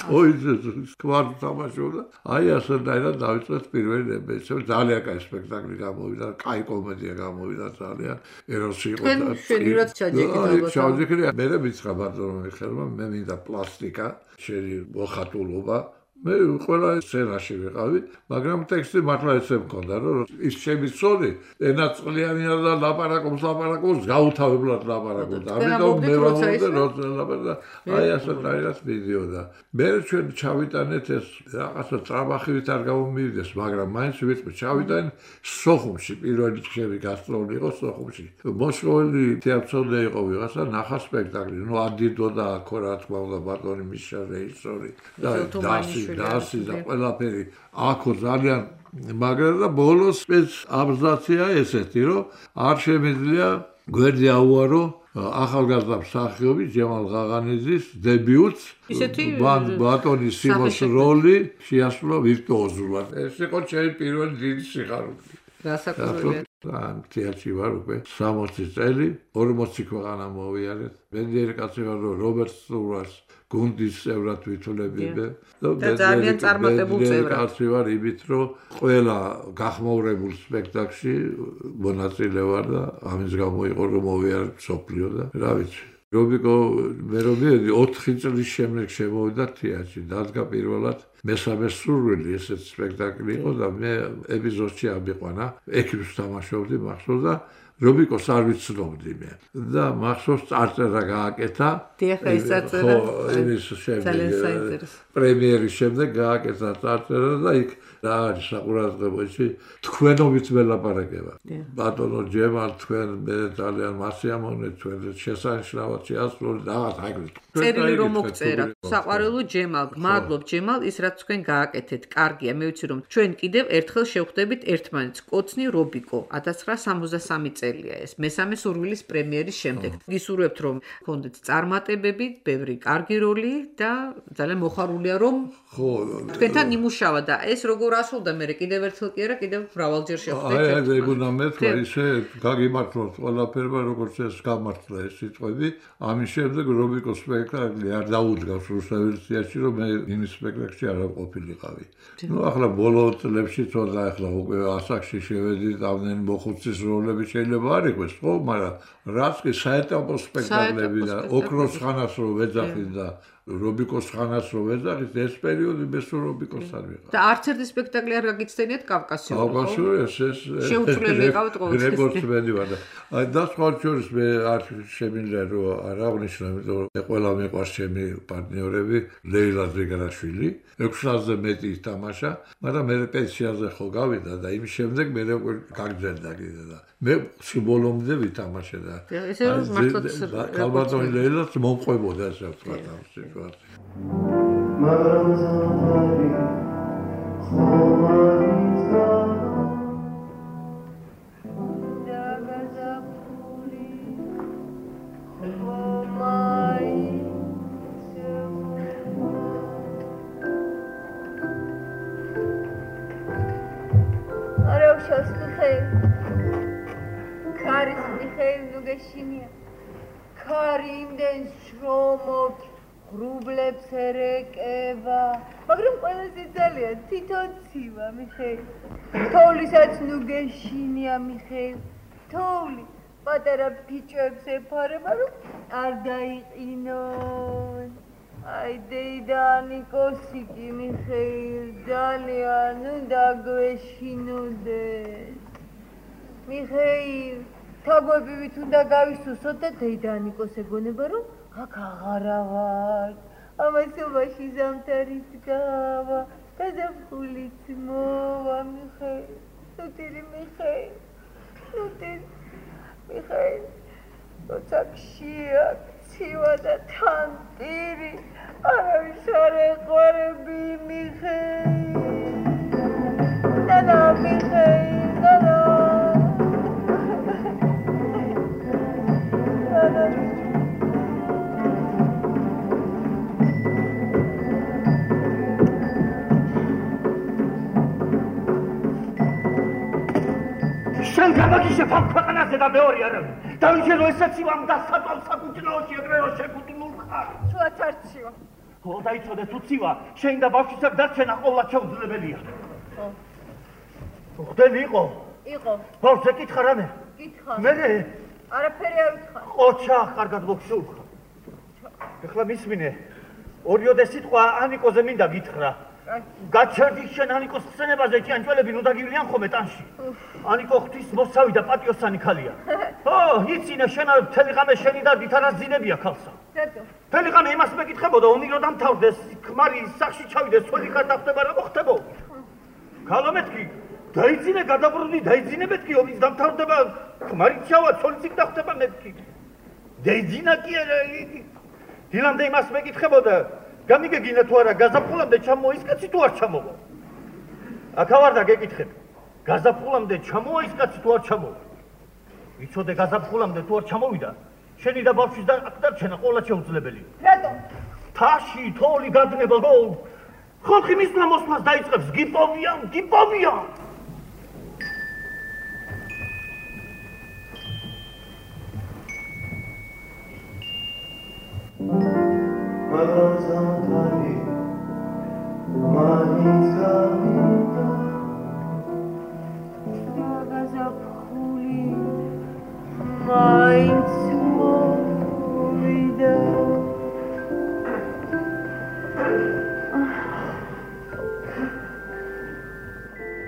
Speaker 3: თოიძე სკვარ თამაშობდა. აი ასეთაირად დავიწყეთ პირველი რეპეტიცია. ძალიან კაი სპექტაკლი გამოვიდა, კაი კომედია გამოვიდა ძალიან. ეროსი იყო და
Speaker 2: შენივრად ჩაჯეკით
Speaker 3: ჩაჯეკით მე მითხრა ბატონო მიხელმა მე მინდა პლასტიკა, შენი მოხატულობა. მე ყველა სცენაში ვიყავი, მაგრამ ტექსტი მართლა ესე მქონდა, რომ ის ჩემი ცოლი ენაწყლიანია და ლაპარაკობს, ლაპარაკობს, გაუთავებლად ლაპარაკობს. ამიტომ მე ვამბობდი, რომ ლაპარაკა აი ასე დაირას მიდიოდა. მე ჩვენ ჩავიტანეთ ეს რაღაცა ტრაბახივით არ გამომივიდეს, მაგრამ მაინც ვიტყვი ჩავიტან სოხუმში, პირველი ჩემი გასტროლი იყო სოხუმში. მოსკოველი თეატრონე იყო ვიღაცა, ნახა სპექტაკლი. ნუ ადიდო და აქო რა თქმა უნდა ბატონი მიშა რეჟისორი და დასი დასი და ყველაფერი აქო ძალიან მაგრამ და ბოლოს ეს აბზაცია ესეთი რომ არ შემიძლია გვერდი აუარო ახალგაზრდა მსახიობი ჯემალ ღაღანიძის დებიუტს ბატონის სიმოს როლი შეასრულა ვირტუოზულად. ეს იყო ჩემი პირველი დიდი სიხარული.
Speaker 2: გასაკუთრებით
Speaker 3: ამ თეატრში ვარ უკვე სამოცი წელი, ორმოცი ქვეყანა მოვიარეთ. მედიერი კაცი ვარ რომ რობერტ სტურას გუნდის წევრად ვითვლებიმე
Speaker 2: და ძალიან წარმატებულ წევრად.
Speaker 3: კაცი ვარ იმით, რომ ყველა გახმაურებულ სპექტაკლში მონაწილე ვარ და ამის გამო იყო რომ მოვიარე მსოფლიო და რა ვიცი. რობიკო მე რომ მივედი ოთხი წლის შემდეგ შემოვიდა თეატრში. დადგა პირველად მესამე სურვილი ესეთ სპექტაკლი იყო და მე ეპიზოდში ამიყვანა. ექიმს თამაშობდი მახსოვს და რობიკოს არ ვიცნობდი მე. და მახსოვს წარწერა გააკეთა.
Speaker 2: დიახ, ეს წარწერა.
Speaker 3: ხო, იმის შემდეგ პრემიერის შემდეგ გააკეთა წარწერა და იქ რა არის საყურადღებო ისე თქვენობით ველაპარაკება. ბატონო ჯემალ თქვენ მე ძალიან მასიამოვნეთ თქვენ შესანიშნავად შეასრულეთ რაღაც აგრეთ.
Speaker 2: წერილი რომ მოგწერა. საყვარელო ჯემალ, მადლობ ჯემალ ის რაც თქვენ გააკეთეთ. კარგია, მე ვიცი რომ ჩვენ კიდევ ერთხელ შევხვდებით ერთმანეთს. კოცნი რობიკო ათას ცხრაასა სამოცდასამი წელია ეს. მესამე სურვილის პრემიერის შემდეგ. გისურვებთ რომ გქონდეთ წარმატებები, ბევრი კარგი როლი და ძალიან მოხარულია რომ
Speaker 3: ხო
Speaker 2: თქვენთან იმუშავა და ეს როგორ ასულდა მე კიდევ ერთხელ კი არა კიდევ მრავალჯერ შევხვდეთ.
Speaker 3: აი აი ეგუნა მეთქვა ისე გაგიმართლოთ ყველაფერმა როგორც ეს გამართლა ეს სიტყვები. ამის შემდეგ რობიკოს სპექტაკლი არ დაუდგავს რუსთაველის თეატრში რომ მე იმის სპექტაკლში არ ყოფილიყავი. ნუ ახლა ბოლო წლებში თორდა ახლა უკვე ასაკში შევედი ამდენი მოხუცის როლები შეიძლება არ იყოს ხო მაგრამ რაც კი საეტაპო სპექტაკლები და ოქროს ხანას რო ვეძახი და რობიკოს ხანას რო ვეძახით ეს პერიოდი ბესო რობიკოს არ ვიყავ.
Speaker 2: და არც ერთი სპექტაკლი არ გაგიცდენიათ კავკასიური.
Speaker 3: კავკასიური ეს ეს
Speaker 2: შეუცვლელი იყავთ ყოველთვის.
Speaker 3: რეკორდს მენი ვარ და აი და სხვა შორის მე არ შემიძლია რომ არ აღნიშნო იმიტომ რომ მე ყველა მეყვარს ჩემი პარტნიორები ლეილა ზეგრაშვილი ექვსი ათასზე მეტი ითამაშა მაგრამ მე პენსიაზე ხო გავიდა და იმ შემდეგ მე გაგძელდა კიდე და მე სიმბოლომდე ვითამაშე და
Speaker 2: ესე რომ მართლაც
Speaker 3: ალბათ ლეილას მომყვებოდა ასე ვთქვა ამ სიტუაციაში
Speaker 5: მაგრამ ზამთარი ხომარიცა დაგაზაფხული ხომარიცა
Speaker 6: არა შოსტიხე ქარის მიხეილ ნუგეშინია ქარი იმდენ შრომობს ღრუბლებს ერეკება მაგრამ ყველაზე ძალიან თვითონ ცივა მიხეილ თოვლისაც ნუგეშინია მიხეილ თოვლი პატარა ფიჭვებს ეფარება რომ არ დაიყინონ აი დეიდანიკოსი კი მიხეილ ძალიან უნდა გვეშინოდეს მიხეილ თაგვებივით უნდა გავისუსოთ და დეიდანიკოს ეგონება რომ აქ აღარა ვარ ამასობაში ზამთარიც გავა და ზაფხულიც მოვა მიხეილ ნუტირი მიხეილ ნუტირი მიხეილ როცა ქშია ცივა და თან პირი არავის არ ეყვარები მიხეილ ნანა მიხეილ ნანა
Speaker 4: შენ გამაგიშებ ამ ქვეყანაზე და მეორე არავინ. დავიჯერო ესეც იმამ და საწოლ საკუთრეოში ეგრეო შეკუთვნილ ხარ.
Speaker 6: შუაც არ ცივა.
Speaker 4: ხო დაიცოდე თუ ცივა, შენ და ბავშვისაგ დარჩენა ყოვლად შეუძლებელია. ხო. ხდები იყო?
Speaker 6: იყო.
Speaker 4: ბავშვს ეკითხა რამე?
Speaker 6: კითხა.
Speaker 4: მე
Speaker 6: არაფერი არ ვითხარ.
Speaker 4: ყოჩა კარგად მოგშულხა. ეხლა მისმინე. ორიოდე სიტყვა ანიკოზე მინდა გითხრა. გაჩერდი შენ ანიკოს ხსენებაზე ჭიანჭველები ნუ დაგივლიან ხოლმე ტანში. ანიკო ღვთის მოსავი და პატიოსანი ქალია. ო, იცინე შენ მთელი ღამე შენი და ვითარას ძინებია ქალსა.
Speaker 6: რატო?
Speaker 4: მთელი ღამე იმას მეკითხებოდა, ომი რო დამთავრდეს, ქმარი სახში ჩავიდეს, სული ხარ დახტება რა მოხდებო? ქალო მეთქი, დაიძინე გადაბრუნდი, დაიძინე მეთქი, ომის დამთავრდება, ქმარი ჩავა, სულიც დახტება მეთქი. დაიძინა კი არა. დილამდე იმას მეკითხებოდა გამიგეგინა თუ არა გაზაფხულამდე ჩამოვა ის კაცი თუ არ ჩამოვა. აქ ვარ და გეკითხებ. გაზაფხულამდე ჩამოვა ის კაცი თუ არ ჩამოვა. იცოდე გაზაფხულამდე თუ არ ჩამოვიდა, შენი და ბავშვის და აქ დარჩენა ყოლა შეუძლებელია.
Speaker 6: რატო?
Speaker 4: თაში თოვლი გადნება გო. ხალხი მისვლა მოსვლას დაიწყებს, გიპოვია, გიპოვია.
Speaker 5: მაგრამ მაინც გავიდა
Speaker 6: გაზაფხული მაინც მოვიდა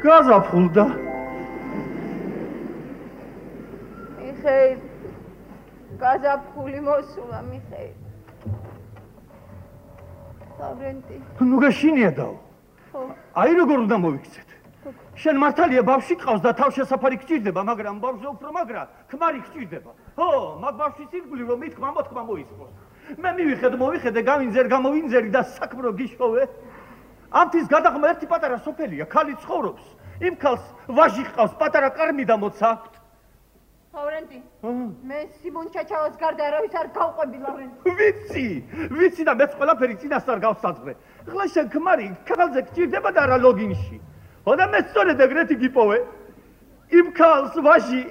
Speaker 4: გაზაფხულდა
Speaker 6: მიხეილ გაზაფხული მოსულა მიხეილ ლავრენტი
Speaker 4: ნუ გაშინია დაო
Speaker 6: ხო
Speaker 4: აი როგორ უნდა მოვიქცეთ შენ მართალია ბავშვი ყავს და თავშესაფარი გჭირდება მაგრამ ბავშვზე უფრო მაგრა ქმარი გჭირდება ხო მაგ ბავშვის ირგვლივ რომ მithქმა მოთქმა მოისწროს მე მივიხედ მოვიხედე გამინძერ გამოვინძერი და საქმრო გიშოვე ამთის გადაღმა ერთი პატარა სოფელია ქალი ცხოვრობს იმ ქალს ვაჟი ყავს პატარა კარმი და მოცა აქვთ
Speaker 6: ლავრენტი მე სიმონ ჩაჩავას გარდა არავის არ გავყვები ლავრენტი
Speaker 4: ვიცი ვიცი და მეც ყველაფერი წინასწარ გავსაძღვრე ხლა შენ ქმარი ქალზე გჭირდება და რა ლოგინში ხო და მე სწორედ ეგრეთი გიპოვე იმ ქალს ვაჟი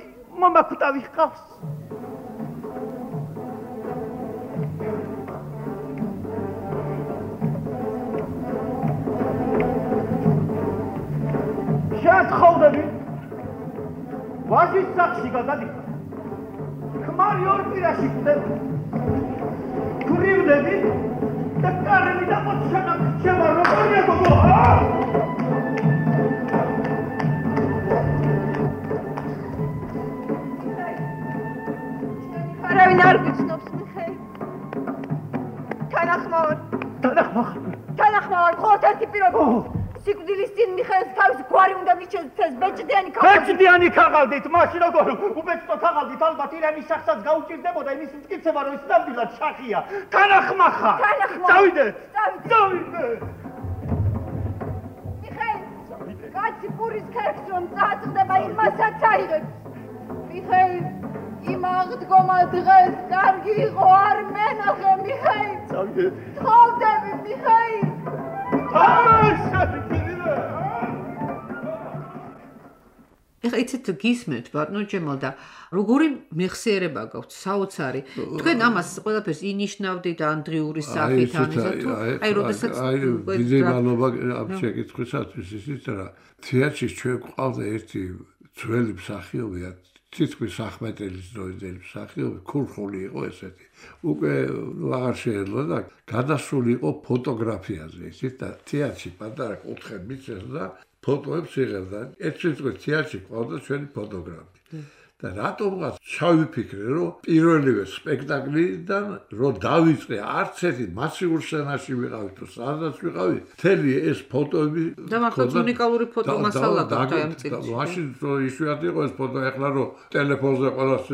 Speaker 4: მომაკვდავი ყავს შეთხოვდები ვაჟის სახში გადადიხარ ქმარი ორ პირაში ხვდება გრივდები და კარები და მოჩანა გრჩება როგორია გოგო
Speaker 6: არავინ არ გიცნობს მიხეილ თანახმოვარ
Speaker 4: თანახმოვარ
Speaker 6: თანახმოვარ მხოლოდ ერთი პირობა სიკვდილის წინ მიხეილს თავის გვარი უნდა მიჩნდეს ეს ბეჭდიანი ქაღალდი
Speaker 4: ბეჭდიანი ქაღალდით მაშინ როგორ უბეჭდო ქაღალდით ალბათ ირემის სახსაც გაუჭირდებოდა იმის მტკიცება რომ ის ნამდვილად შახია თანახმახარ წავიდეთ წავიდეთ
Speaker 6: მიხეილ კაცი პურის ქერქს რომ წაწყდება იმასაც აიღებს მიხეილ იმ აღდგომა დღეს კარგი იყო არ მენახე მიხეილ
Speaker 4: წავიდეთ
Speaker 6: თხოვდები მიხეილ
Speaker 2: ეხლა იცით გისმენთ ბატონო ჯემალ და როგორი მეხსიერება გაქვთ საოცარი თქვენ ამას ყველაფერს ინიშნავდით ანდრიურის სახით ამისა თუ აი როდესაც
Speaker 3: აი დიდი მადლობა ამ შეკითხვისათვის ისიც რა თეატრში ჩვენ გვყავდა ერთი ძველი მსახიობი თითქმის ახმეტელის დროინდელი მსახიობი ქურხული იყო ესეთი უკვე აღარ შეეძლო და გადასული იყო ფოტოგრაფიაზე ისიც და თეატრში პატარა კუთხე მიწეს და ფოტოებს იღებდა ერთ შემთხვევაში თეატრში ყავდა ჩვენი ფოტოგრაფი და რატომღაც ჩავიფიქრე რომ პირველივე სპექტაკლიდან რომ დავიწყე არც ერთი მასიურ სცენაში ვიყავი თუ სადაც ვიყავი მთელი ეს ფოტოები
Speaker 2: და მართლაც უნიკალური ფოტო მასალა გაქვთ ამ წელს
Speaker 3: მაშინ რომ იშვიათი იყო ეს ფოტო ეხლა რომ ტელეფონზე ყველას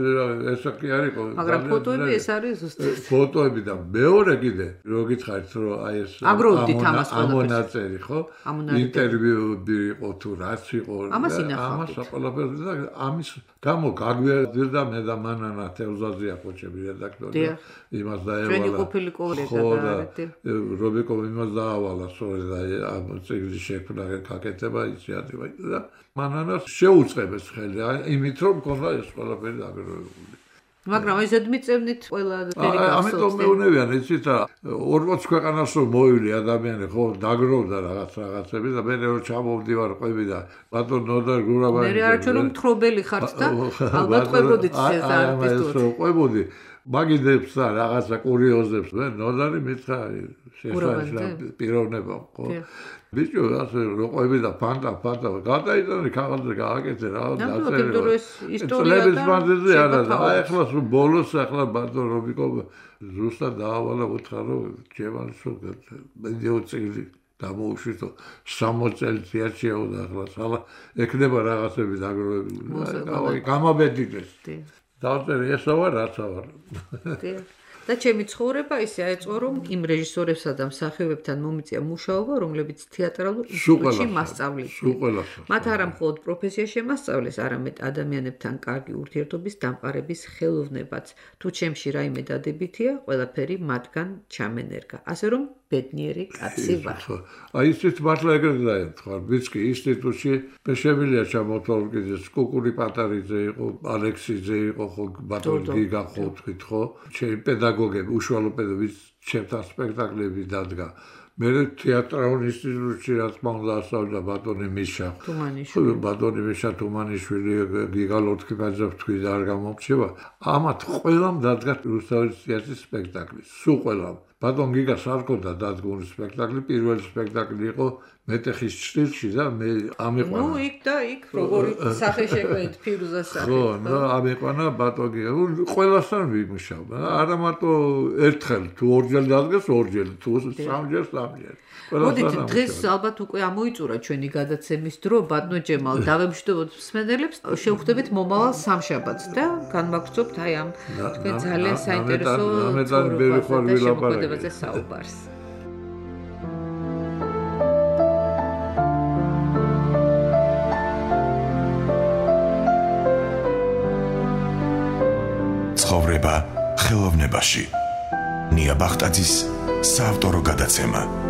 Speaker 3: ესე კი არ იყო
Speaker 2: მაგრამ ფოტოები ეს არის ზუსტად
Speaker 3: ფოტოები და მეორე კიდე რო გითხარით რომ აი ეს
Speaker 2: აგროვდით ამას
Speaker 3: ამონაწერი ხო ინტერვიუები იყო თუ რაც იყო
Speaker 2: ამას ინახავთ
Speaker 3: ამას ყველაფერს და ამის გამო გაგვიერთდა მე და მანანა თევზაზია ხოჭები რედაქტორი იმას დაევალა
Speaker 2: ჩვენი ყოფილი კოლეგა და
Speaker 3: რობიკო იმას დაავალა სწორედ ამ წიგნის შექმნა გაკეთება ინიციატივა და მანანას შეუწყებეს ხელი იმით რომ მქონდა ეს ყველაფერი დაგროვებული
Speaker 2: მაგრამ ეს ზედმიწევნით ყველა ფერი გახსოვს.
Speaker 3: ამიტომ მეუნევიან იცით რა ორმოც ქვეყანას რომ მოვილი ადამიანი ხო დაგროვდა რაღაც რაღაცები და მე რომ ჩამოვდივარ ყვები და ბატონ ნოდარ გურაბაი
Speaker 2: მე არჩევ რომ თხრობელი ხართ და ალბათ ყვებოდით ეს არტისტური.
Speaker 3: ყვებოდი მაგიდებს და რაღაცა კურიოზებს მე ნოდარი მითხრა შესაძლოა პიროვნება ხო ბიჭო ასე როყვები და ფანტა ფანტა გადაიტანე ქაღალდზე გააკეთე რა
Speaker 2: დაწერა ეს ისტორია
Speaker 3: და აი ახლა სულ ბოლოს ახლა ბატონ რობიკო ზუსტად დაავალა უთხრა რომ ჯევანის სულ მედიო წილი გამოუშვითო სამოცი წელი თეატრშია და ახლა სალა ეკნება რაღაცები დაგროვებული გამაბედიდეს დავწერე ესა ვარ რაცა ვარ
Speaker 2: და ჩემი ცხოვრება ისე აეწყო რომ იმ რეჟისორებსა და მსახიობებთან მომიწია მუშაობა რომლებიც თეატრალურ ინსტიტუტში მასწავლებლები მათ არა მხოლოდ პროფესია შემასწავლეს არამედ ადამიანებთან კარგი ურთიერთობის დამყარების ხელოვნებაც თუ ჩემში რაიმე დადებითია ყველაფერი მათგან ჩამენერგა ასე რომ ბედნიერი კაცი ვარ
Speaker 3: აი ისეთ მართლა ეგრეთ დაემთხარ ვიცი ინსტიტუტში მე შემიძლია ჩამოთვალ კიდე კუკური პატარიძე იყო ალექსიძე იყო ხო ბატონი გიგა ხო თქვით ხო ჩემი პედაგოგები უშუალო პედაგოგები ჩემთან სპექტაკლები დადგა მე თეატრალურ ინსტიტუტში რა თქმა უნდა ასწავლიდა ბატონი მიშა.
Speaker 2: თუმანიშვილი.
Speaker 3: ბატონი მიშა თუმანიშვილი გიგალოთკიბაძე თქვი და არ გამომრჩება. ამათ ყველამ დადგა რუსთაველის თეატრის სპექტაკლი. სულ ყველამ. ბატონ გიგას არ ქონდა დადგმული სპექტაკლი, პირველი სპექტაკლი იყო მეტეხის ჭრილში და მე ამიყვანა.
Speaker 2: ნუ იქ და იქ როგორი სახე შეგვეთ ფირუზას სახე.
Speaker 3: ხო, და ამიყვანა ბატონ გიგა. ყველასთან ვიმუშავდა. არა მარტო ერთხელ თუ ორჯერ დადგეს, ორჯერ თუ სამჯერ, სამჯერ.
Speaker 2: მოდით დღეს ალბათ უკვე ამოიწურა ჩვენი გადაცემის დრო, ბატონო ჯემალ, დავემშვიდობოთ მსმენელებს, შევხვდებით მომავალ სამშაბათს და განმაგრძობთ აი ამ თქვენ ძალიან საინტერესო შემოქმედებაზე საუბარს.
Speaker 1: ცხოვრება ხელოვნებაში. ნია ბახტაძის საავტორო გადაცემა.